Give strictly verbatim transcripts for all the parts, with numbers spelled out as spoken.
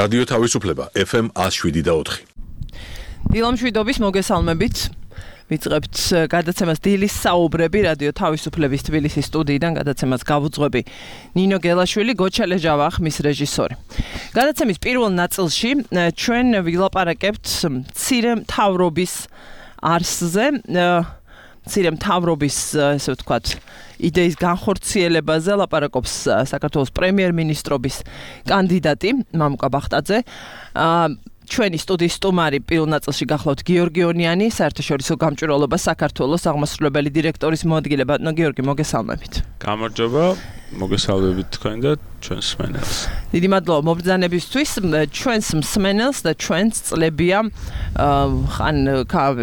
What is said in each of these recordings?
რადიო თავისუფლება F M one oh seven და four. დილამშვიდობის მოგესალმებით. ვიწყებთ გადაცემას დილის საუბრები რადიო თავისუფლების თბილისის სტუდიიდან გადაცემას გავუძღვები ნინო გელაშვილი, გოჩალე ჟავახ, მის რეჟისორი. გადაცემის პირველ ნაწილში ჩვენ ვილაპარაკებთ მცირე მთავრობის არსზე, მცირე მთავრობის, ესე ვთქვათ, იდეის განხორციელებაზე ლაპარაკობს საქართველოს პრემიერ-მინისტრობის კანდიდატი მამუკა ბახტაძე. ჩვენი სტუდიის სტუმარი პირველ ნაწილში გახლავთ გიორგი ონიანი, საერთაშორისო გამჭვირვალობა საქართველოს აღმასრულებელი დირექტორის მოადგილე. ბატონო გიორგი, მოგესალმებით. გამარჯობა, მოგესალმებით თქვენ და ჩვენს მსმენელს. დიდი მადლობა მობრძანებისთვის. ჩვენს მსმენელს და ჩვენს წლებია ხან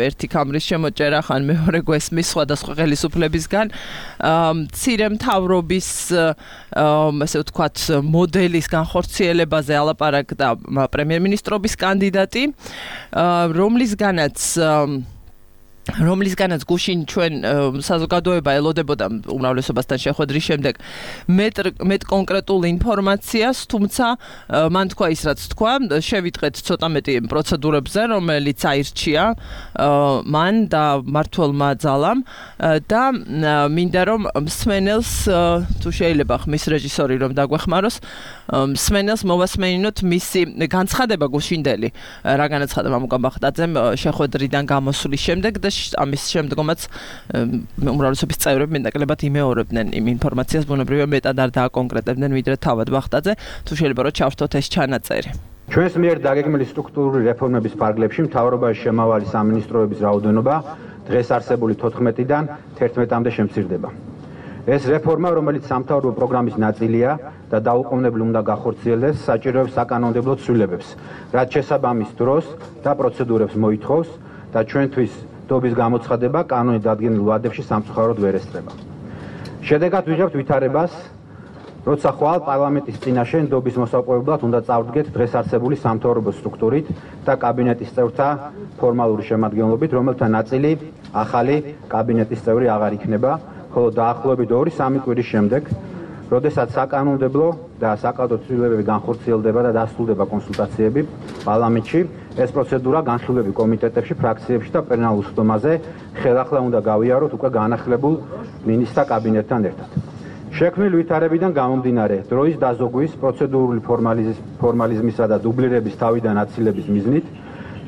ერთი კამრის შემოჭერა, ხან მეორე გვესმის სხვადასხვა ხელისუფლებისგან მცირე მთავრობის ასე ვთქვათ მოდელის განხორციელებაზე ალაპარაკდა პრემიერ-მინისტრობის კანდიდატი, რომლისგანაც რომლისგანაც გუშინ ჩვენ საზოგადოება ელოდებოდა უმრავლესობასთან შეხვედრის შემდეგ მეტ კონკრეტულ ინფორმაციას, თუმცა მან თქვა ის, რაც თქვა, შევიტყეთ ცოტა მეტი პროცედურებზე, რომელიც აირჩია მან და მმართველმა ძალამ და მინდა რომ მსმენელს, თუ შეიძლება ხმის რეჟისორი რომ დაგვეხმაროს, მსმენელს მოვასმენინოთ მისი განცხადება გუშინდელი, რა განაცხადა მამუკა ბახტაძემ შეხვედრიდან გამოსulis შემდეგ და ამის შემდგომაც უმრავლესობის წევრები მეტნაკლებად იმეორებდნენ იმ ინფორმაციას, ბუნებრივია მეტად არ დააკონკრეტებდნენ ვიდრე თავად ბახტაძე. თუ შეიძლება რომ ჩავშთოთ ეს ჩანაწერი. ჩვენს მიერ დაგეგმილი სტრუქტურული რეფორმების ფარგლებში მთავრობაში შემავალი სამინისტროების რაოდენობა დღეს არსებული თოთხმეტიდან თერთმეტამდე შემცირდება. ეს რეფორმა, რომელიც სამთავრობო პროგრამის ნაწილია და დაუყოვნებლივ უნდა გახორციელდეს, საჭიროებს საკანონმდებლო ცვლილებებს, რაც შესაბამის დროს და პროცედურებს მოითხოვს და ჩვენთვის დობის გამოცხადება კანონით დადგენილ ვადებში სამწუხაროდ ვერ ესწრება. შედეგად ვიღებთ ვითარებას, როცა ხვალ პარლამენტის წინაშე დობის მოსაპოვებლად უნდა წავდგეთ დღეს არსებული სამთავრობო სტრუქტურით და კაბინეტის წევრთა ფორმალური შემადგენლობით, რომელთა ნაწილი ახალი კაბინეტის წევრი აღარ იქნება, ხოლო დაახლოებით ორი-სამი კვირის შემდეგ, როდესაც საკანონმდებლო და საკადრო ცვლილებები განხორციელდება და დასრულდება კონსულტაციები პარლამენტში, ეს პროცედურა განხილვები კომიტეტებში, ფრაქციებში და პლენარულ სხდომაზე ხელახლა უნდა გავიაროთ უკვე განახლებულ მინისტრთა კაბინეტთან ერთად. შექმნილ ვითარებიდან გამომდინარე, დროის დაზოგვის, პროცედურული ფორმალიზმისა და დუბლირების თავიდან აცილების მიზნით,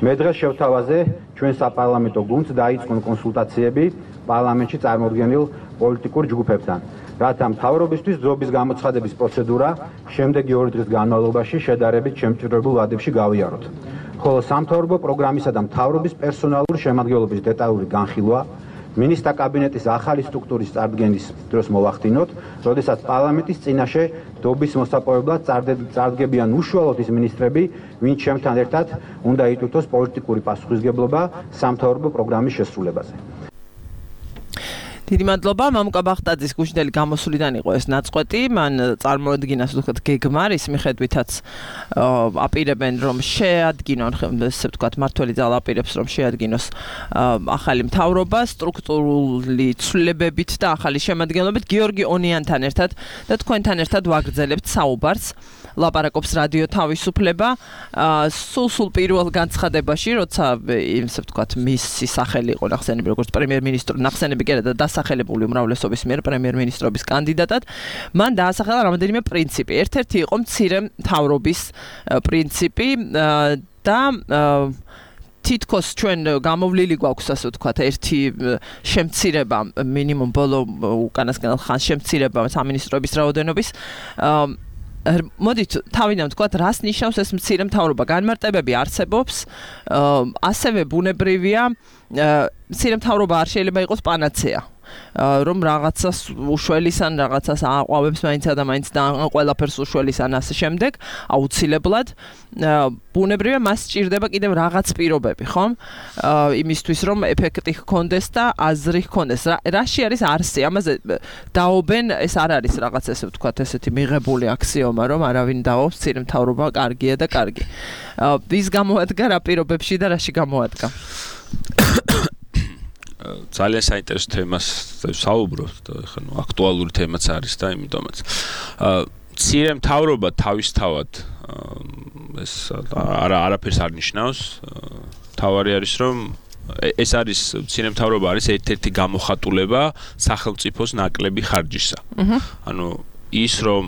მე დღეს შევთავაზე ჩვენ საპარლამენტო გუნდს დაიწყონ კონსულტაციები პარლამენტში წარმოდგენილ პოლიტიკურ ჯგუფებთან, რათა მთავრობისთვის დროების გამოცხადების პროცედურა შემდეგი ორი დღის განმავლობაში შედარებით შემჭირებულ ვადებში გავიაროთ. ხოლო სამთავრობო პროგრამისა და მთავრობის პერსონალური შემადგენლობის დეტალური განხილვა მინისტრთა კაბინეტის ახალი სტრუქტურის წარდგენის დროს მოვახდინოთ, როდესაც პარლამენტის წინაშე დობის მოსაპოვებლად წარდგებიან უშუალოდ ის მინისტრები, ვინც ჩემთან ერთად უნდა იტვირთოს პოლიტიკური პასუხისგებლობა სამთავრობო პროგრამის შესრულებაზე. დიდი მადლობა. მამუკა ბახტაძის გუშინდელი გამოსულიდან იყო ეს ნაწყვეტი, მან წარმოადგინა ვთქვათ გეგმა, რის მიხედვითაც აპირებენ რომ შეადგინონ, ესე ვთქვათ, მმართველი ძალა აპირებს რომ შეადგინოს ახალი მთავრობა სტრუქტურული ცვლილებებით და ახალი შემადგენლობით. გიორგი ონიანთან ერთად და თქვენთან ერთად ვაგრძელებთ საუბარს. ლაპარაკობს რადიო თავისუფლება. სულ-სულ პირველ განცხადებაში, როცა ესე ვთქვათ, მისი სახელი იყო ნახსენები როგორც პრემიერ-მინისტრო, ნახსენები კი არა და დასახელებული უმრავლესობის მიერ პრემიერ-მინისტრობის კანდიდატად, მან დაასახელა რამდენიმე პრინციპი. ერთ-ერთი იყო მცირე მთავრობის პრინციპი და თითქოს ჩვენ გამოვლილი გვაქვს, ასე ვთქვათ, ერთი შემცირება, მინიმუმ ბოლო უკანასკნელ ხანს შემცირება სამინისტროების რაოდენობის. მოდით თავიდან ვთქვათ, რას ნიშნავს ეს მცირე მთავრობა? განმარტებები არსებობს, ასევე ბუნებრივია, მცირე მთავრობა არ შეიძლება იყოს პანაცეა. რომ რაღაცას უშველის ან რაღაცას აყვავებს მაინცა და მაინც და ყველაფერს უშველის ან ასე შემდეგ, აუცილებლად ბუნებრივია მას სჭირდება კიდევ რაღაც პირობები, ხომ? იმისთვის რომ ეფექტი ჰქონდეს და აზრი ჰქონდეს. რაში არის არსი? ამაზე დაობენ, ეს არ არის რაღაც ესე ვთქვათ, ესეთი მიღებული აქსიომა, რომ არავინ დაობს, მცირე მთავრობა კარგია და კარგი. ვის გამოადგა რა პირობებში და რაში გამოადგა? ძალიან საინტერესო თემას საუბრობთ და ხა ნუ აქტუალური თემაც არის და იმიტომაც მცირე მთავრობა თავისთავად ეს არა არაფერს არ ნიშნავს. თავარი არის რომ ეს არის მცირემთავრობა არის ერთ-ერთი გამოხატულება სახელმწიფოს ნაკლები ხარჯისა. ანუ ის რომ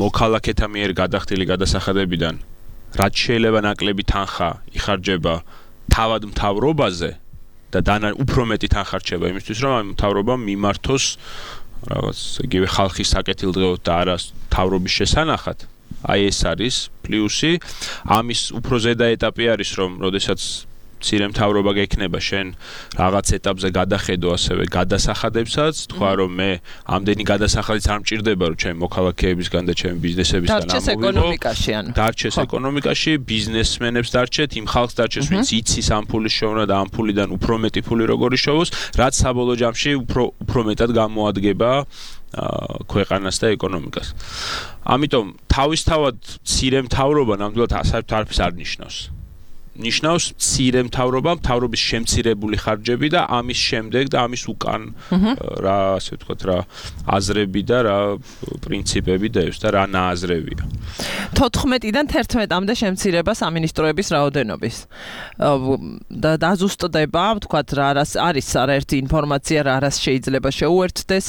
მოქალაქეთა მიერ გადახდილი გადასახადებიდან რაც შეიძლება ნაკლები თანხა იხარჯება თავად მთავრობაზე და დანა უფრო მეტი თანხა რჩება იმისთვის რომ ამ მთავრობამ მიმართოს რაღაც იგივე ხალხის საკეთილდღეოდ და არა მთავრობის შესანახად. აი ეს არის პლუსი. ამის უფრო ზედა ეტაპი არის რომ როდესაც მცირემთავრობა გექნება შენ რაღაც ეტაპზე გადახედო ასევე გადასახადებსაც, თქვა რომ მე ამდენი გადასახადიც არ მჭირდება რომ ჩემი მოქალაქეებისგან და ჩემი ბიზნესებისგან დარჩეს ეკონომიკაში ანუ დარჩეს ეკონომიკაში, ბიზნესმენებს დარჩეთ, იმ ხალხს დარჩეს, ვინც იცის ამ ფულის შოვნა და ამ ფულიდან უფრო მეტი ფული როგორ იშოვოს, რაც საბოლოო ჯამში უფრო უფრო მეტად გამოადგება ქვეყანას და ეკონომიკას. ამიტომ თავისთავად მცირემთავრობა ნამდვილად საერთოდ არ ნიშნავს. ნიშნავს მცირემთავრობა, მთავრობის შემცირებული ხარჯები და ამის შემდეგ და ამის უკან რა ასე ვთქვათ რა აზრები და რა პრინციპები დევს და რა ნააზრევია. თოთხმეტიდან თერთმეტამდე შემცირება სამინისტროების რაოდენობის. და დაზუსტდება, ვთქვათ რა არის არაერთი ინფორმაცია რა რას შეიძლება შეუერთდეს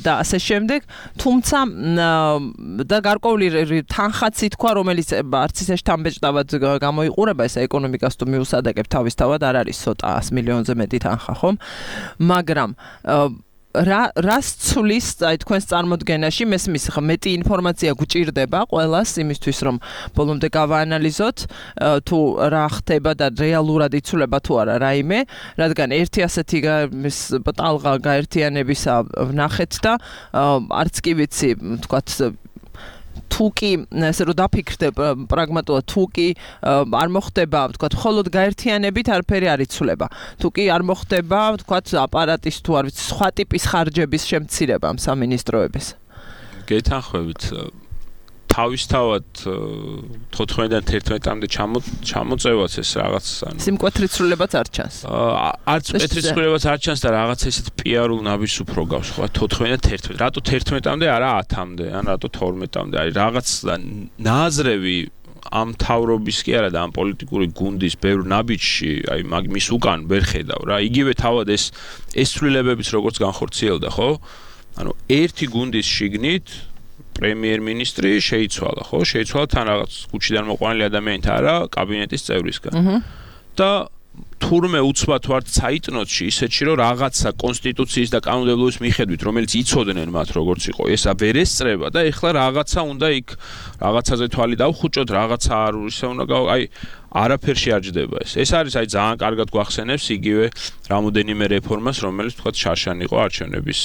და ასე შემდეგ, თუმცა და გარკვეული თანხაც ითქვა, რომელიც არც ისე შთამბეჭდავად გამოიყურება ეს ეკონომიკას თუ მიუსადაგებ თავისთავად არ არის ცოტა ას მილიონზე მეტი თანხა, ხომ? მაგრამ რა რას ცulis აი თქვენს წარმოდგენაში მესმის მეტი ინფორმაცია გვჭირდება ყველას იმისთვის რომ ბოლომდე გავაანალიზოთ თუ რა ხდება და რეალურად იცვლება თუ არა რაიმე, რადგან ერთი ასეთი ტალღა გაერთიანებისა ვნახეთ და არც კი ვიცი, ვთქვათ თუ კი ესე რომ დაფიქრდე პრაგმატულად თუ კი არ მოხდება ვთქვათ მხოლოდ გაერთიანებით არაფერი არ იცვლება. თუ კი არ მოხდება ვთქვათ აპარატის თუ არ ვიცი სხვა ტიპის ხარჯების შემცირება ამ სამინისტროების. გეთანხმებით თავისთავად თოთხმეტიდან თერთმეტამდე ჩამოწევაც ეს რაღაც ანუ სიმკვეთრიცრულებაც არ ჩანს. არც მკვეთრიცრულებაც არ ჩანს და რაღაც ესეთ პიარულ ნაბიჯს უფრო გავს ხო თოთხმეტიდან თერთმეტ. რატო თერთმეტამდე არა ათამდე ან რატო თორმეტამდე არის რაღაც ნააზრევი ამ თავრობის კი არა და ამ პოლიტიკური გუნდის ბევრ ნაბიჯში აი მაგის უკან ვერ ხედავ რა. იგივე თავად ეს ეს ცვლილებებიც როგორც განხორციელდა ხო? ანუ ერთი გუნდის შიგნით პრემიერ-მინისტრი შეიცვალა, ხო? შეიცვალა თან რაღაც კუჩიდან მოყვანილი ადამიანით არა, კაბინეტის წევრისგან. და თურმე უცბად ვართ საიტნოტში ისეთში რომ რაღაცა კონსტიტუციის და კანონმდებლობის მიხედვით რომელიც იცოდნენ მათ როგორც იყო ესა ვერ ესწრება და ეხლა რაღაცა უნდა იქ რაღაცაზე თვალი დავხუჭოთ, რაღაცა არ ისე უნდა გავა აი არაფერში არ ჯდება ეს. ეს არის აი ძალიან კარგად გვახსენებს იგივე რამოდენიმე რეფორმას, რომელიც თქვათ შარშან იყო არჩევნების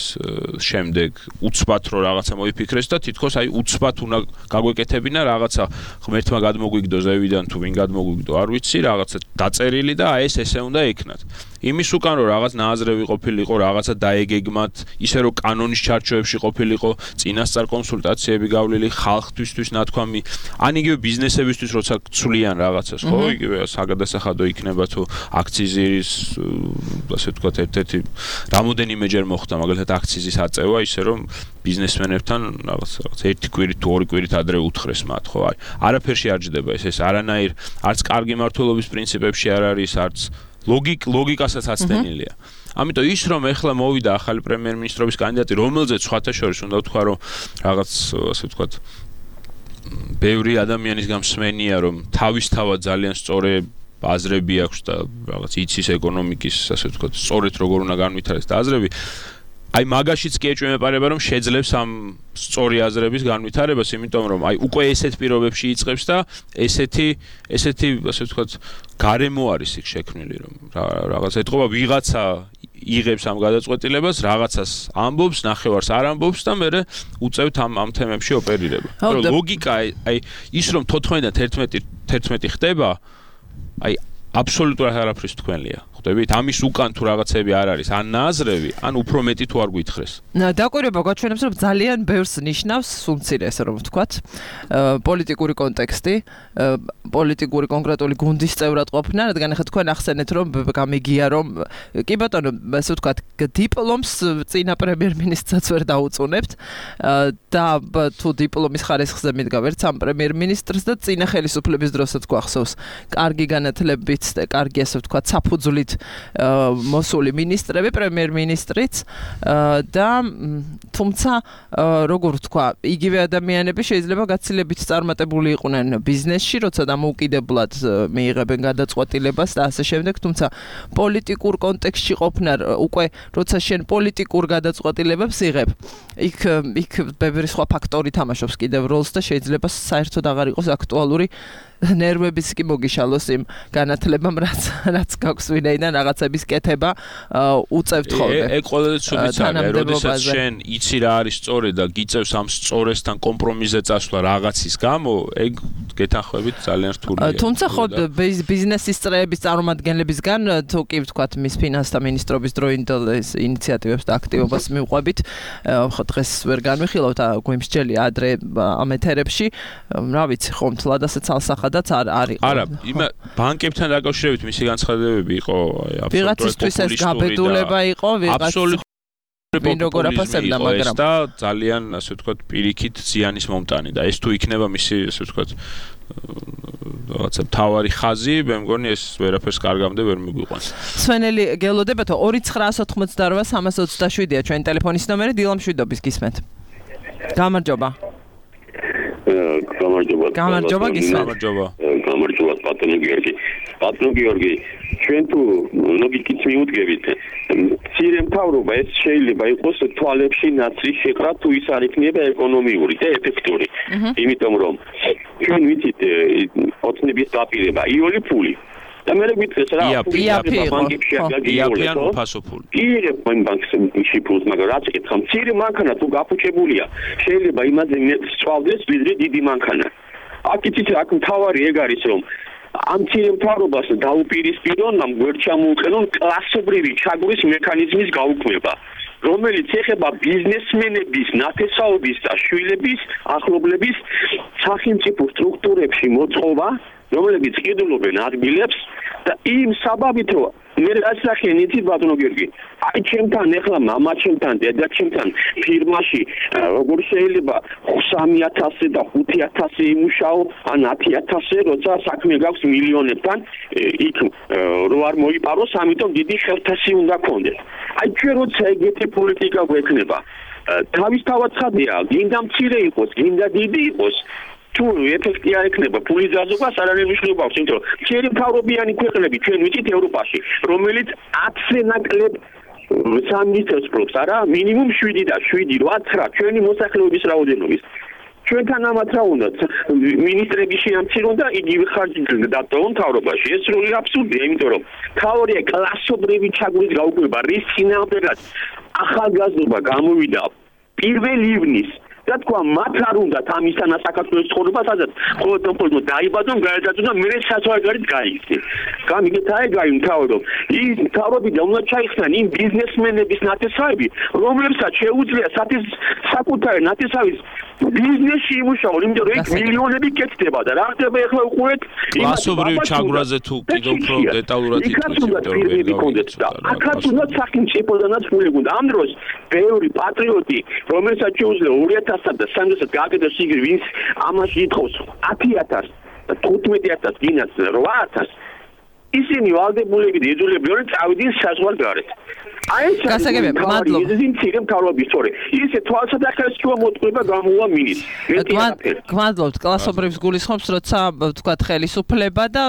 შემდეგ უცბად რო რაღაცა მოიფიქრეს და თითქოს აი უცბად უნდა გაგვეკეთებინა რაღაცა ღმერთმა გადმოგვიგდო ზევიდან თუ ვინ გადმოგვიგდო არ ვიცი, რაღაცა დაწერილი და აი ეს ესე უნდა ექნათ. იმის უკან რომ რაღაც ნააზრევი ყოფილიყო, რაღაცა დაეგეგმათ, ისე რომ კანონის ჩარჩოებში ყოფილიყო, წინასწარ კონსულტაციები გავლილი ხალხთვისთვის ნათქვამი, ან იგივე ბიზნესებისთვის როცა ცვლიან რაღაცას, ხო? იგივე საგადასახადო იქნება თუ აქციზის ასე ვთქვათ ერთ-ერთი რამოდენიმეჯერ მოხდა მაგალითად აქციზის აწევა ისე რომ ბიზნესმენებთან რაღაც რაღაც ერთი კვირით თუ ორი კვირით ადრე უთხრეს მათ ხო აი არაფერში არ ჯდება ეს ეს არანაირ არც კარგი მართლობის პრინციპებში არ არის არც ლოგიკ ლოგიკასაც აცდენილია. ამიტომ ის რომ ეხლა მოვიდა ახალი პრემიერ-მინისტრობის კანდიდატი რომელზეც სხვათა შორის უნდა ვთქვა რომ რაღაც ასე ვთქვათ ბევრი ადამიანის გამსმენია რომ თავისთავად ძალიან სწორი აზრები აქვს და რაღაც იცის ეკონომიკის ასე ვთქვათ სწორედ როგორ უნდა განვითარდეს და აზრები აი მაგაშიც კი ეჭვმეპარება რომ შეძლებს ამ სწორი აზრების განვითარებას, იმიტომ რომ აი უკვე ესეთ პირობებში იწყებს და ესეთი ესეთი ასე ვთქვათ გარემო არის იქ შექმნილი რომ რაღაც ეთყობა ვიღაცა იღებს ამ გადაწყვეტილებას, რაღაცას ამბობს, ნახევარს არ ამბობს და მე უწევთ ამ ამ თემებში ოპერირება. ლოგიკა აი ის რომ თოთხმეტიდან თერთმეტი თერთმეტი ხდება, აი აბსოლუტურად არაფრის თქვენია. ხვდებით? ამის უკან თუ რაღაცები არ არის, ან ნაზრევი, ან უფრო მეტი თუ არ გითხრეს. დაკვირვება გვაჩვენებს, რომ ძალიან ბევრს ნიშნავს, სულმცირე ესე რომ ვთქვათ, პოლიტიკური კონტექსტი, პოლიტიკური კონკრეტული გუნდის წევრად ყოფნა, რადგან ახლა თქვენ ახსენეთ, რომ გამიგია, რომ კი ბატონო, ესე ვთქვათ, დიპლომს წინა პრემიერ-მინისტრსაც ვერ დაუწუნებთ და თუ დიპლომის ხარისხზე მიდგა ვერც ამ პრემიერ-მინისტრს და წინა ხელისუფლების დროსაც გვახსოვს კარგი განათლებით და კარგი ასე ვთქვათ, საფუძვლით მოსული მინისტრები, პრემიერ-მინისტრიც და თუმცა როგორ ვთქვა, იგივე ადამიანები შეიძლება გაცილებით წარმატებული იყვნენ ბიზნესში, როცა დამოუკიდებლად მიიღებენ გადაწყვეტილებას და ასე შემდეგ, თუმცა პოლიტიკურ კონტექსტში ყოფნა უკვე როცა შენ პოლიტიკურ გადაწყვეტილებებს იღებ, იქ იქ ბევრი სხვა ფაქტორი თამაშობს კიდევ როლს და შეიძლება საერთოდ აღარ იყოს აქტუალური ნერვებიც კი მოგიშალოს იმ განათლებამ, რაც რაც გაქვს ვინაიდან რაღაცების კეთება უწევთ ხოლმე. ეგ ყველაზე ცუდიც არის, როდესაც შენ იცი რა არის სწორი და გიწევს ამ სწორესთან კომპრომისზე წასვლა რაღაცის გამო, ეგ გეთანხმებით ძალიან რთულია. თუმცა ხო ბიზნესის წრეების წარმომადგენლებისგან თუ კი ვთქვათ, მის ფინანსთა მინისტრობის დროინდელ ინიციატივებს და აქტივობას მივყვებით, ხო დღეს ვერ განვიხილავთ, გვიმსჯელია ადრე ამ ეთერებში, რა ვიცი, ხომ თლად ასე ცალსახადაც არ არის. არა, იმ ბანკებთან დაკავშირებით მისი განცხადებები იყო აბსოლუტურად ვიღაცისთვის ეს გაბედულება იყო, ვიღაც ვინ როგორ აფასებდა, მაგრამ და ძალიან ასე ვთქვათ, პირიქით ზიანის მომტანი და ეს თუ იქნება მისი ასე ვთქვათ რაღაცა თავარი ხაზი, მე მგონი ეს ვერაფერს კარგამდე ვერ მიგვიყვანს. სვენელი გელოდებათო ორი ცხრაასი ოცდაოთხმოცდარვა სამას ოცდაშვიდია ჩვენი ტელეფონის ნომერი, დილამ მშვიდობის გისმენთ. გამარჯობა. გამარჯობა. გამარჯობა გისმენთ. გამარჯობა. გამარჯობა ბატონო გიორგი. ბატონო გიორგი, ჩვენ თუ ლოგიკით მიუდგებით, მცირე მთავრობა ეს შეიძლება იყოს თვალებში ნაცრის შეყრა თუ ის არ იქნება ეკონომიური და ეფექტური. იმიტომ რომ ჩვენ ვიცით ოცნების დაპირება, იული ფული. და მე გვითხეს რა, ბანკებში იაფიან უფასოფული. იღებ ბანკში ფულს, მაგრამ რაც ეკითხა, მცირე მანქანა თუ გაფუჭებულია, შეიძლება იმაზე მეტს სწავლდეს, ვიდრე დიდი მანქანა. აქ იცით აქ მთავარი ეგ არის რომ ამ მცირე მთავრობას დაუპირისპირონ, ამ გვერდჩამოუყენონ კლასობრივი ჩაგვრის მექანიზმის გაუქმება, რომელიც ეხება ბიზნესმენების, ნათესაობის და შვილების, ახლობლების სახელმწიფო სტრუქტურებში მოწყობა, რომლებიც ყიდულობენ ადგილებს და იმ საბაბით რომ მე რასახენ იცით ბატონო გიორგი, აი ჩემთან ეხლა მამა ჩემთან, დედა ჩემთან ფირმაში როგორ შეიძლება სამი ათასი და ხუთი ათასი იმუშაო, ან ათი ათასი, როცა საქმე გაქვს მილიონებთან, იქ რო არ მოიპაროს, ამიტომ დიდი ხელფასი უნდა გქონდეს. აი ჩვენ როცა ეგეთი პოლიტიკა გვექნება, თავისთავად ხადია, გინდა მცირე იყოს, გინდა დიდი იყოს, თუ ეფექტი არ ექნება ფულის დაზოგვა არანაირი მნიშვნელობა აქვს, იმიტომ რომ მცირე მთავრობიანი ქვეყნები ჩვენ ვიცით ევროპაში, რომელიც ათზე ნაკლებ სამინისტროს პროფს, არა, მინიმუმ შვიდი და შვიდი, რვა, ცხრა ჩვენი მოსახლეობის რაოდენობის. ჩვენთან ამათ რა უნდათ, მინისტრები შეამცირონ და იგივე ხარჯი დატოვონ მთავრობაში. ეს სრული აბსურდია, იმიტომ რომ თავია კლასობრივი ჩაგვრის გაუქმება, რის წინააღმდეგაც ახალგაზრდობა გამოვიდა პირველ ივნის და თქვა მათ არ უნდათ ამისთანა საქართველოს ცხოვრება, სადაც მხოლოდ მხოლოდ დაიბადონ, გაეძაძონ და მერე საზღვარგარეთ გაიქცნენ. გამიგეთ აი გაი მთავრობ. ის მთავრობიდან უნდა ჩაიხსნან იმ ბიზნესმენების ნათესავები, რომლებსაც შეუძლია საკუთარი ნათესავის ბიზნესში იმუშაონ, იმიტომ რომ იქ მილიონები კეთდება და რა ხდება ახლა უყურეთ კლასობრივ ჩაგვრაზე თუ კიდევ უფრო დეტალურად ითქვით, აქაც უნდა სახელმწიფოდანაც ფული გუნდა. ამ დროს ბევრი პატრიოტი, რომელსაც შეუძლია ორი ათასსა და სამი ათასს გააკეთოს იგივე, ვინც ამაში ითხოვს ათი ათასს და თხუთმეტი ათასს, გინაც რვა ათასს, ისინი ვალდებულები და იძულებები რომ წავიდნენ საზღვარგარეთ. აი ეს გასაგებია, მადლობა. ის მცირე მთავრობის სწორი. ისე თვალსაჩინო მოტყუება გამოვა მინის. გმადლობთ, კლასობრივს გულისხმობს, როცა ვთქვათ ხელისუფლება და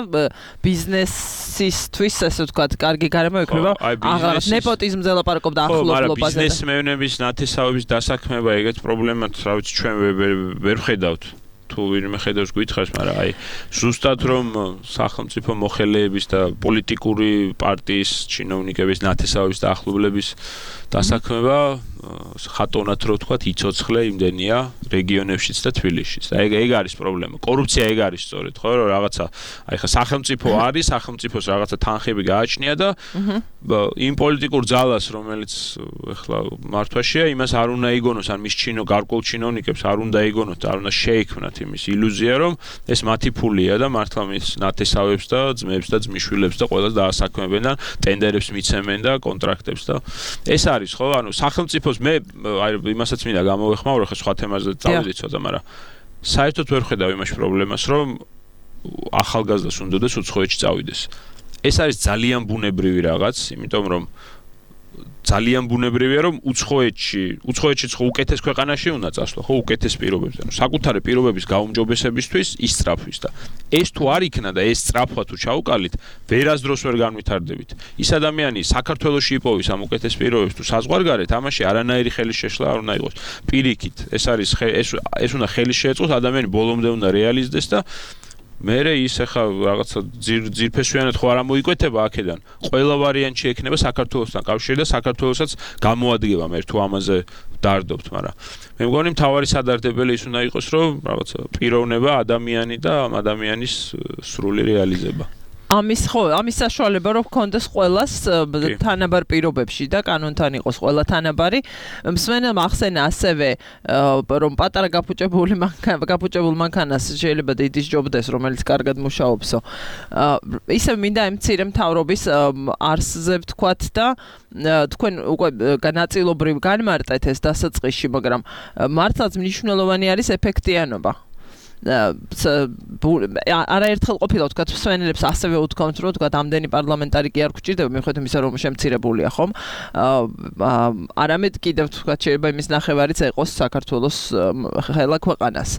ბიზნესისთვის, ასე ვთქვათ, კარგი გარემო ექნება. აღარ ნეპოტიზმზე ლაპარაკობდა ახლობლობაზე. ბიზნესმენების ნათესავების დასაქმება ეგეთ პრობლემად, რა ვიცი, ჩვენ ვერ ვხედავთ. თუ ვინმე ხედავს გითხარს, მაგრამ აი ზუსტად რომ სახელმწიფო მოხელეების და პოლიტიკური პარტიის ჩინოვნიკების ნათესავების და ახლობლების დასაქმება ხატონად რო ვთქვათ, იცოცხლე იმდენია რეგიონებშიც და თბილისშიც. და ეგ ეგ არის პრობლემა. კორუფცია ეგ არის სწორედ, ხო, რომ რაღაცა აი ხა სახელმწიფო არის, სახელმწიფოს რაღაცა თანხები გააჩნია და იმ პოლიტიკურ ძალას, რომელიც ეხლა მართვაშია, იმას არ უნდა იგონოს, ან მის ჩინო გარკვეულ ჩინოვნიკებს არ უნდა იგონოთ, არ უნდა შეექმნათ იმის ილუზია, რომ ეს მათი ფულია და მართლა მის ნათესავებს და ძმებს და ძმისშვილებს და ყველას დაასაქმებენ და ტენდერებს მიცემენ და კონტრაქტებს და ეს არის ხო, ანუ სახელმწიფოს მე აი იმასაც მინდა გამოვეხმაურო, ხა სხვა თემაზე წავიდე ცოტა, მაგრამ საერთოდ ვერ ხედავ იმაში პრობლემას, რომ ახალგაზრდას უნდადეს უცხოეთში წავიდეს. ეს არის ძალიან ბუნებრივი რაღაც, იმიტომ რომ ძალიან ბუნებრივია, რომ უცხოეთში, უცხოეთშიც ხო უკეთეს ქვეყანაში უნდა წასვლა, ხო უკეთეს პირობებზე. ანუ საკუთარი პირობების გაუმჯობესებისთვის ისწრაფვის და ეს თუ არ იქნა და ეს სწრაფვა თუ ჩაუკალით, ვერასდროს ვერ განვითარდებით. ის ადამიანი საქართველოში იპოვის ამ უკეთეს პირობებს თუ საზღვარგარეთ, ამაში არანაირი ხელის შეშლა არ უნდა იყოს. პირიქით, ეს არის ეს ეს უნდა ხელის შეეწყოს, ადამიანი ბოლომდე უნდა რეალიზდეს და მერე ის ახლა რაღაცა ძირფესვიანად ხო არ მოიკვეთება აქედან. ყველა ვარიანტი ექნება საქართველოსთან კავშირი და საქართველოსაც გამოადგება მე თუ ამაზე დარდობთ, მაგრამ მე მგონი მთავარი სადარდებელი ის უნდა იყოს, რომ რაღაცა პიროვნება, ადამიანი და ამ ადამიანის სრული რეალიზება. ამის ხო, ამის საშუალება რომ გქონდეს ყველას თანაბარ პირობებში და კანონთან იყოს ყველა თანაბარი. მსმენელმა ახსენა ასევე რომ პატარა გაფუჭებული გაფუჭებულ მანქანას შეიძლება დიდი სჯობდეს, რომელიც კარგად მუშაობსო. ისევ მინდა ამ მცირე მთავრობის არსზე ვთქვათ და თქვენ უკვე განაწილობრივ განმარტეთ ეს დასაწყისში, მაგრამ მართლაც მნიშვნელოვანი არის ეფექტიანობა. არაერთხელ ყოფილა ვთქვათ მსმენელებს ასევე უთქვამთ, რომ ვთქვათ ამდენი პარლამენტარი კი არ გვჭირდება, მიუხედავად იმისა, რომ შემცირებულია ხომ. არამედ კიდევ ვთქვათ შეიძლება იმის ნახევარიც ეყოს საქართველოს ხელა ქვეყანას.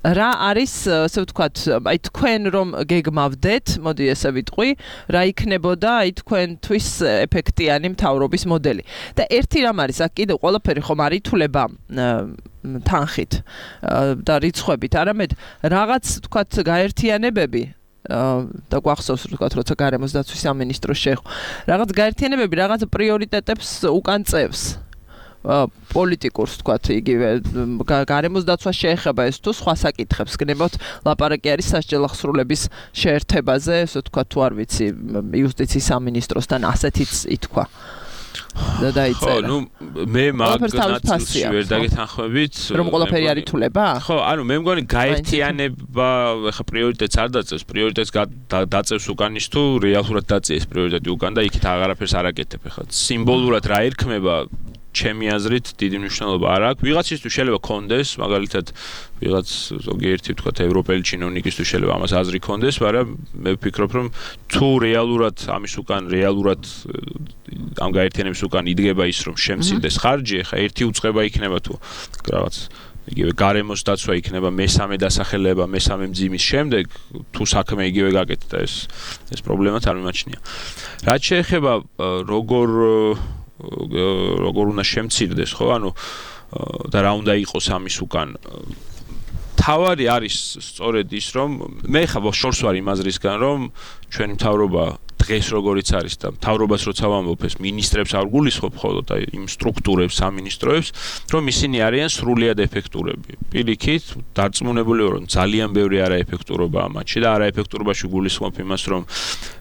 რა არის, ასე ვთქვათ, აი თქვენ რომ გეგმავდეთ, მოდი ესე ვიტყვი, რა იქნებოდა აი თქვენთვის ეფექტიანი მთავრობის მოდელი. და ერთი რამ არის, აქ კიდევ ყველაფერი ხომ არ ითვლება თანხით და რიცხვებით, არამედ რაღაც ვთქვათ გაერთიანებები და გვახსოვს ვთქვათ, როცა გარემოს დაცვის სამინისტრო შეეხო. რაღაც გაერთიანებები, რაღაც პრიორიტეტებს უკან წევს. პოლიტიკურს ვთქვათ, იგივე გარემოს დაცვა შეეხება ეს თუ სხვა საკითხებს გნებავთ, ლაპარაკი არის სასჯელ ახსრულების შეერთებაზე, ესე ვთქვათ, თუ არ ვიცი, იუსტიციის სამინისტროსთან ასეთიც ითქვა. და დაიწერა. ხო, ნუ მე მაგნაცილში ვერ დაგეთანხმებით, რომ ყველაფერი არ ითვლება? ხო, ანუ მე მგონი გაერთიანება, ხა პრიორიტეტს არ დაწევს, პრიორიტეტს დაწევს უკან ის თუ რეალურად დაწეს პრიორიტეტი უკან და იქით აღარაფერს არ აკეთებ. ხა სიმბოლურად რა ერქმება ჩემი აზრით დიდი მნიშვნელობა არ აქვს. ვიღაცისთვის შეიძლება კონდეს, მაგალითად, ვიღაც ზოგიერთი ვთქვათ ევროპელი ჩინოვნიკისთვის შეიძლება ამას აზრი კონდეს, მაგრამ მე ვფიქრობ, რომ თუ რეალურად ამის უკან რეალურად ამ გაერთიანების უკან იდგება ის, რომ შემცირდეს ხარჯი, ხა ერთი უწყება იქნება თუ რაღაც იგივე გარემოს დაცვა იქნება მესამე დასახელება, მესამე მძიმის შემდეგ, თუ საქმე იგივე გაკეთდა, ეს ეს პრობლემაც არ მიმაჩნია. რაც შეეხება როგორ როგორ უნდა შემცირდეს, ხო, ანუ და რა უნდა იყოს ამის უკან. თავარი არის სწორედ ის, რომ მე ხა შორს ვარ იმ აზრისგან, რომ ჩვენი მთავრობა დღეს როგორიც არის და მთავრობას როცა ვამბობ ეს მინისტრებს არ გულისხმობ მხოლოდ აი იმ სტრუქტურებს, სამინისტროებს, რომ ისინი არიან სრულიად ეფექტურები. პირიქით, დარწმუნებული ვარ, რომ ძალიან ბევრი არაეფექტურობაა მათში და არაეფექტურობაში გულისხმობ იმას, რომ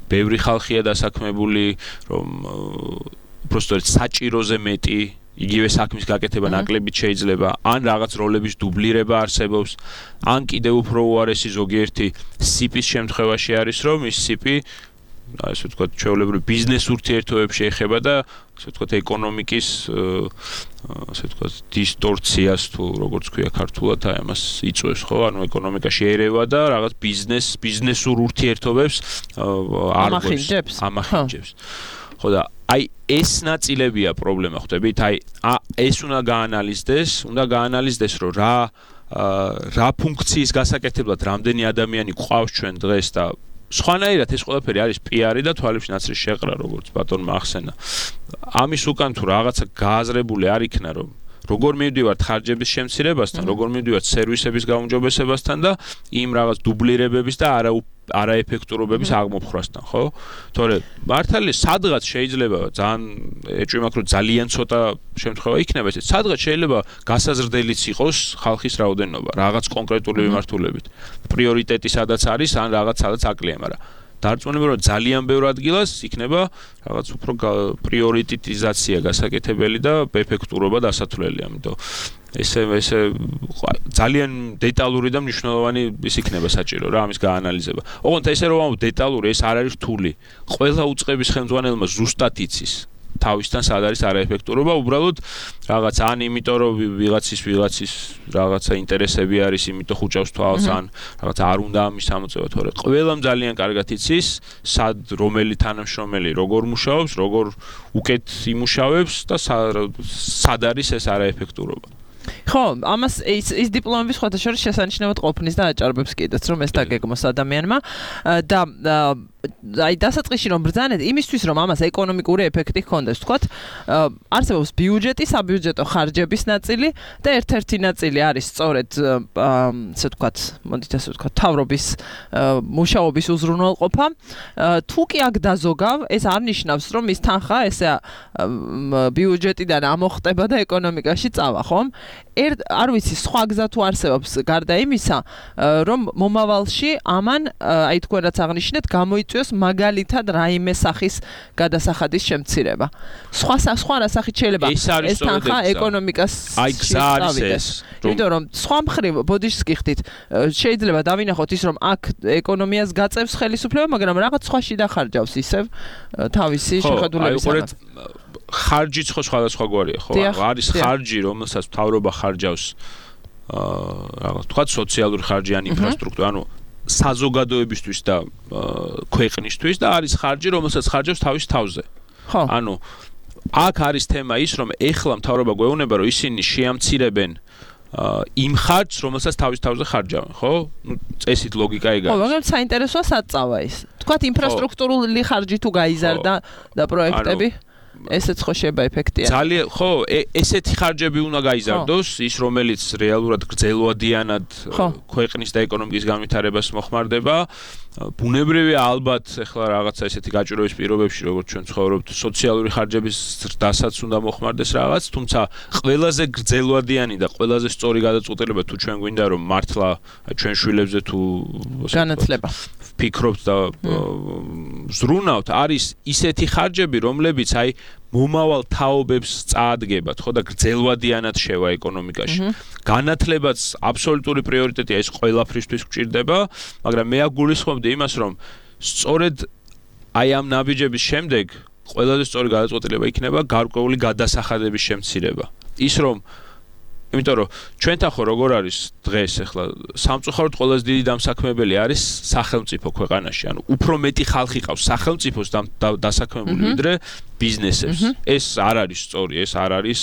ბევრი ხალხია დასაქმებული, რომ უბრალოდ საჭიროზე მეტი იგივე საქმის გაკეთება ნაკლებიც შეიძლება, ან რაღაც როლების დუბლირება არსებობს, ან კიდევ უფრო უარესი ზოგიერთი სიპის შემთხვევაში არის, რომ ის სიპი ასე ვთქვათ, ჩვეულებრივ ბიზნეს ურთიერთობებში ეხება და ასე ვთქვათ, ეკონომიკის ასე ვთქვათ, დისტორციას თუ როგორც ქვია ქართულად, აი ამას იწვევს, ხო? ანუ ეკონომიკაში ერევა და რაღაც ბიზნეს, ბიზნესურ ურთიერთობებს ამახინჯებს. ამახინჯებს. ხო და აი ეს ნაწილებია პრობლემა, ხვდებით? აი ეს უნდა გაანალიზდეს, უნდა გაანალიზდეს, რომ რა რა ფუნქციის გასაკეთებლად რამდენი ადამიანი გვყავს ჩვენ დღეს და სხვანაირად ეს ყველაფერი არის პიარი და თვალებში ნაცრის შეყრა, როგორც ბატონმა ახსენა. ამის უკან თუ რაღაცა გააზრებული არ იქნა, რომ როგორ მივდივართ ხარჯების შემცირებასთან, როგორ მივდივართ სერვისების გაუმჯობესებასთან და იმ რაღაც დუბლირებების და არა არაეფექტურობების აღმოფხრასთან, ხო? თორე მართალია სადღაც შეიძლება ძალიან ეჭვი მაქვს რომ ძალიან ცოტა შემთხვევა იქნება ეს. სადღაც შეიძლება გასაზრდელიც იყოს ხალხის რაოდენობა, რაღაც კონკრეტული მიმართულებით. პრიორიტეტი სადაც არის, ან რაღაც სადაც აკლია, მაგრამ დარწმუნებული რომ ძალიან ბევრ ადგილას იქნება რაღაც უფრო პრიორიტეტიზაცია გასაკეთებელი და ეფექტურობა დასათვლელი, ამიტომ ესე ესე ძალიან დეტალური და მნიშვნელოვანი ის იქნება საჭირო რა ამის გაანალიზება. ოღონდ ესე რომ ამ დეტალური ეს არ არის რთული. ყველა უწყების ხელმძღვანელმა ზუსტად იცის თავისთან სად არის არაეფექტურობა, უბრალოდ რაღაც ან იმიტომ რომ ვიღაცის ვიღაცის რაღაცა ინტერესები არის, იმიტომ ხუჭავს თვალს, ან რაღაც არ უნდა ამის სამოწევა, თორე ყველამ ძალიან კარგად იცის, სად რომელი თანამშრომელი როგორ მუშაობს, როგორ უკეთ იმუშავებს და სად არის ეს არაეფექტურობა. ხო, ამას ის ის დიპლომების ხოთა შორის შესანიშნავად ყოფნის და აჭარბებს კიდეც რომ ეს დაგეგმოს ადამიანმა და აი დასაწყისში რომ ბრძანეთ იმისთვის რომ ამას ეკონომიკური ეფექტი ჰქონდეს ვთქვათ არსებობს ბიუჯეტი, საბიუჯეტო ხარჯების ნაწილი და ერთ-ერთი ნაწილი არის სწორედ ასე ვთქვათ, მოდით ასე ვთქვათ, მთავრობის მუშაობის უზრუნველყოფა. თუ კი აქ დაზოგავ, ეს არ ნიშნავს რომ ის თანხა ესე ბიუჯეტიდან ამოხტება და ეკონომიკაში წავა, ხომ? ერთ არ ვიცი სხვა გზა თუ არსებობს გარდა იმისა რომ მომავალში ამან აი თქვენ რაც აღნიშნეთ გამოიწვიოს მაგალითად რაიმე სახის გადასახადის შემცირება. სხვა სხვა რა სახით შეიძლება ეს თანხა ეკონომიკას შეწავიდეს. იმიტომ რომ სხვა მხრივ ბოდიშს გიხდით შეიძლება დავინახოთ ის რომ აქ ეკონომიას გაწევს ხელისუფლება, მაგრამ რაღაც სხვაში დახარჯავს ისევ თავისი შეხედულებისგან. ხარჯიც ხო სხვადასხვაგვარია, ხო? არის ხარჯი, რომელსაც მთავრობა ხარჯავს აა რაღაც თქვა სოციალური ხარჯი ან ინფრასტრუქტურა, ანუ საზოგადოებისთვის და ქვეყნისთვის და არის ხარჯი, რომელსაც ხარჯავს თავის თავზე. ხო. ანუ აქ არის თემა ის, რომ ეხლა მთავრობა გვეუბნება, რომ ისინი შეამცირებენ იმ ხარჯს, რომელსაც თავის თავზე ხარჯავენ, ხო? ნუ წესით ლოგიკა ეგ არის. ხო, მაგრამ საინტერესოა სად წავა ის. თქვათ ინფრასტრუქტურული ხარჯი თუ გაიზარდა და პროექტები ესეც ხო შეიძლება ეფექტია. ძალიან ხო, ესეთი ხარჯები უნდა გაიზარდოს, ის რომელიც რეალურად გრძელვადიანად ქვეყნის და ეკონომიკის განვითარებას მოხმარდება. ბუნებრივია ალბათ ეხლა რაღაცა ესეთი გაჭირვების პირობებში, როგორც ჩვენ ცხოვრობთ, სოციალური ხარჯების ზრდასაც უნდა მოხმარდეს რაღაც, თუმცა ყველაზე გრძელვადიანი და ყველაზე სწორი გადაწყვეტილება თუ ჩვენ გვინდა რომ მართლა ჩვენ შვილებზე თუ განათლება ფიქრობთ და ზრუნავთ, არის ისეთი ხარჯები, რომლებიც აი მომავალ თაობებს წაადგებათ, ხო და გრძელვადიანად შევა ეკონომიკაში. განათლებაც აბსოლუტური პრიორიტეტია, ეს ყველაფრისთვის გვჭირდება, მაგრამ მე აგულისხმობდი იმას, რომ სწორედ აი ამ ნაბიჯების შემდეგ ყველაზე სწორი გადაწყვეტილება იქნება გარკვეული გადასახადების შემცირება. ის რომ იმიტომ რომ ჩვენთან ხო როგორ არის დღეს ახლა სამწუხაროდ ყველაზე დიდი დამსაქმებელი არის სახელმწიფო ქვეყანაში, ანუ უფრო მეტი ხალხი ყავს სახელმწიფოს დასაქმებული ვიდრე ბიზნესებს. ეს არ არის სწორი, ეს არ არის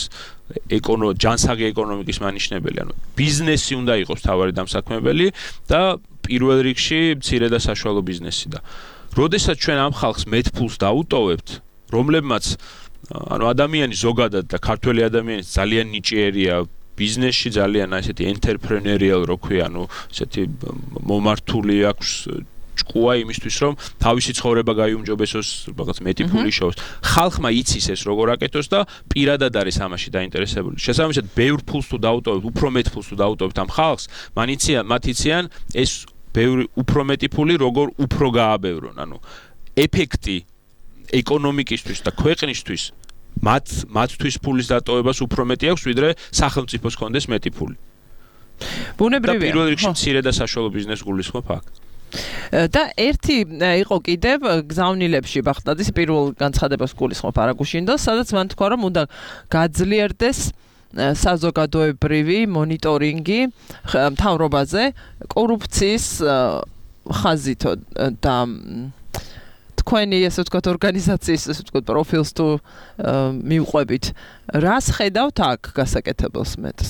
ეკონო ჯანსაღი ეკონომიკის მანიშნებელი, ანუ ბიზნესი უნდა იყოს თავარი დამსაქმებელი და პირველ რიგში მცირე და საშუალო ბიზნესი და როდესაც ჩვენ ამ ხალხს მეტ ფულს დაუტოვებთ, რომლებმაც ანუ ადამიანი ზოგადად და ქართველი ადამიანი ძალიან ნიჭიერია ბიზნესში, ძალიან ასეთი entrepreneurial რო ქვია, ანუ ასეთი მომართული აქვს ჭკუა იმისთვის, რომ თავისი ცხოვრება გაიუმჯობესოს, რაღაც მეტი ფული შევოს. ხალხმა იცის ეს როგორ აკეთოს და პირადად არის ამაში დაინტერესებული. შესაბამისად, ბევრ ფულს თუ დაუტოვებთ, უფრო მეტ ფულს თუ დაუტოვებთ ამ ხალხს, მან იციან, მათ იციან ეს ბევრი უფრო მეტი ფული როგორ უფრო გააბევრონ. ანუ ეფექტი ეკონომიკისთვის და ქვეყნისთვის მათ მათთვის ფულის დატოვებას უფრო მეტი აქვს, ვიდრე სახელმწიფოს კონდეს მეტი ფული. ბუნებრივია. და პირველ რიგში მცირე და საშუალო ბიზნესს გულისხმობ აქ. და ერთი იყო კიდევ გზავნილებში ბახტაძის პირველ განცხადებას გულისხმობ არაგუშინდელს, სადაც მან თქვა, რომ უნდა გაძლიერდეს საზოგადოებრივი მონიტორინგი მთავრობაზე კორუფციის ხაზითო და თქვენი ესე ვთქვათ ორგანიზაციის ესე ვთქვათ პროფილს თუ მივყვებით, რას ხედავთ აქ გასაკეთებელს მეტს?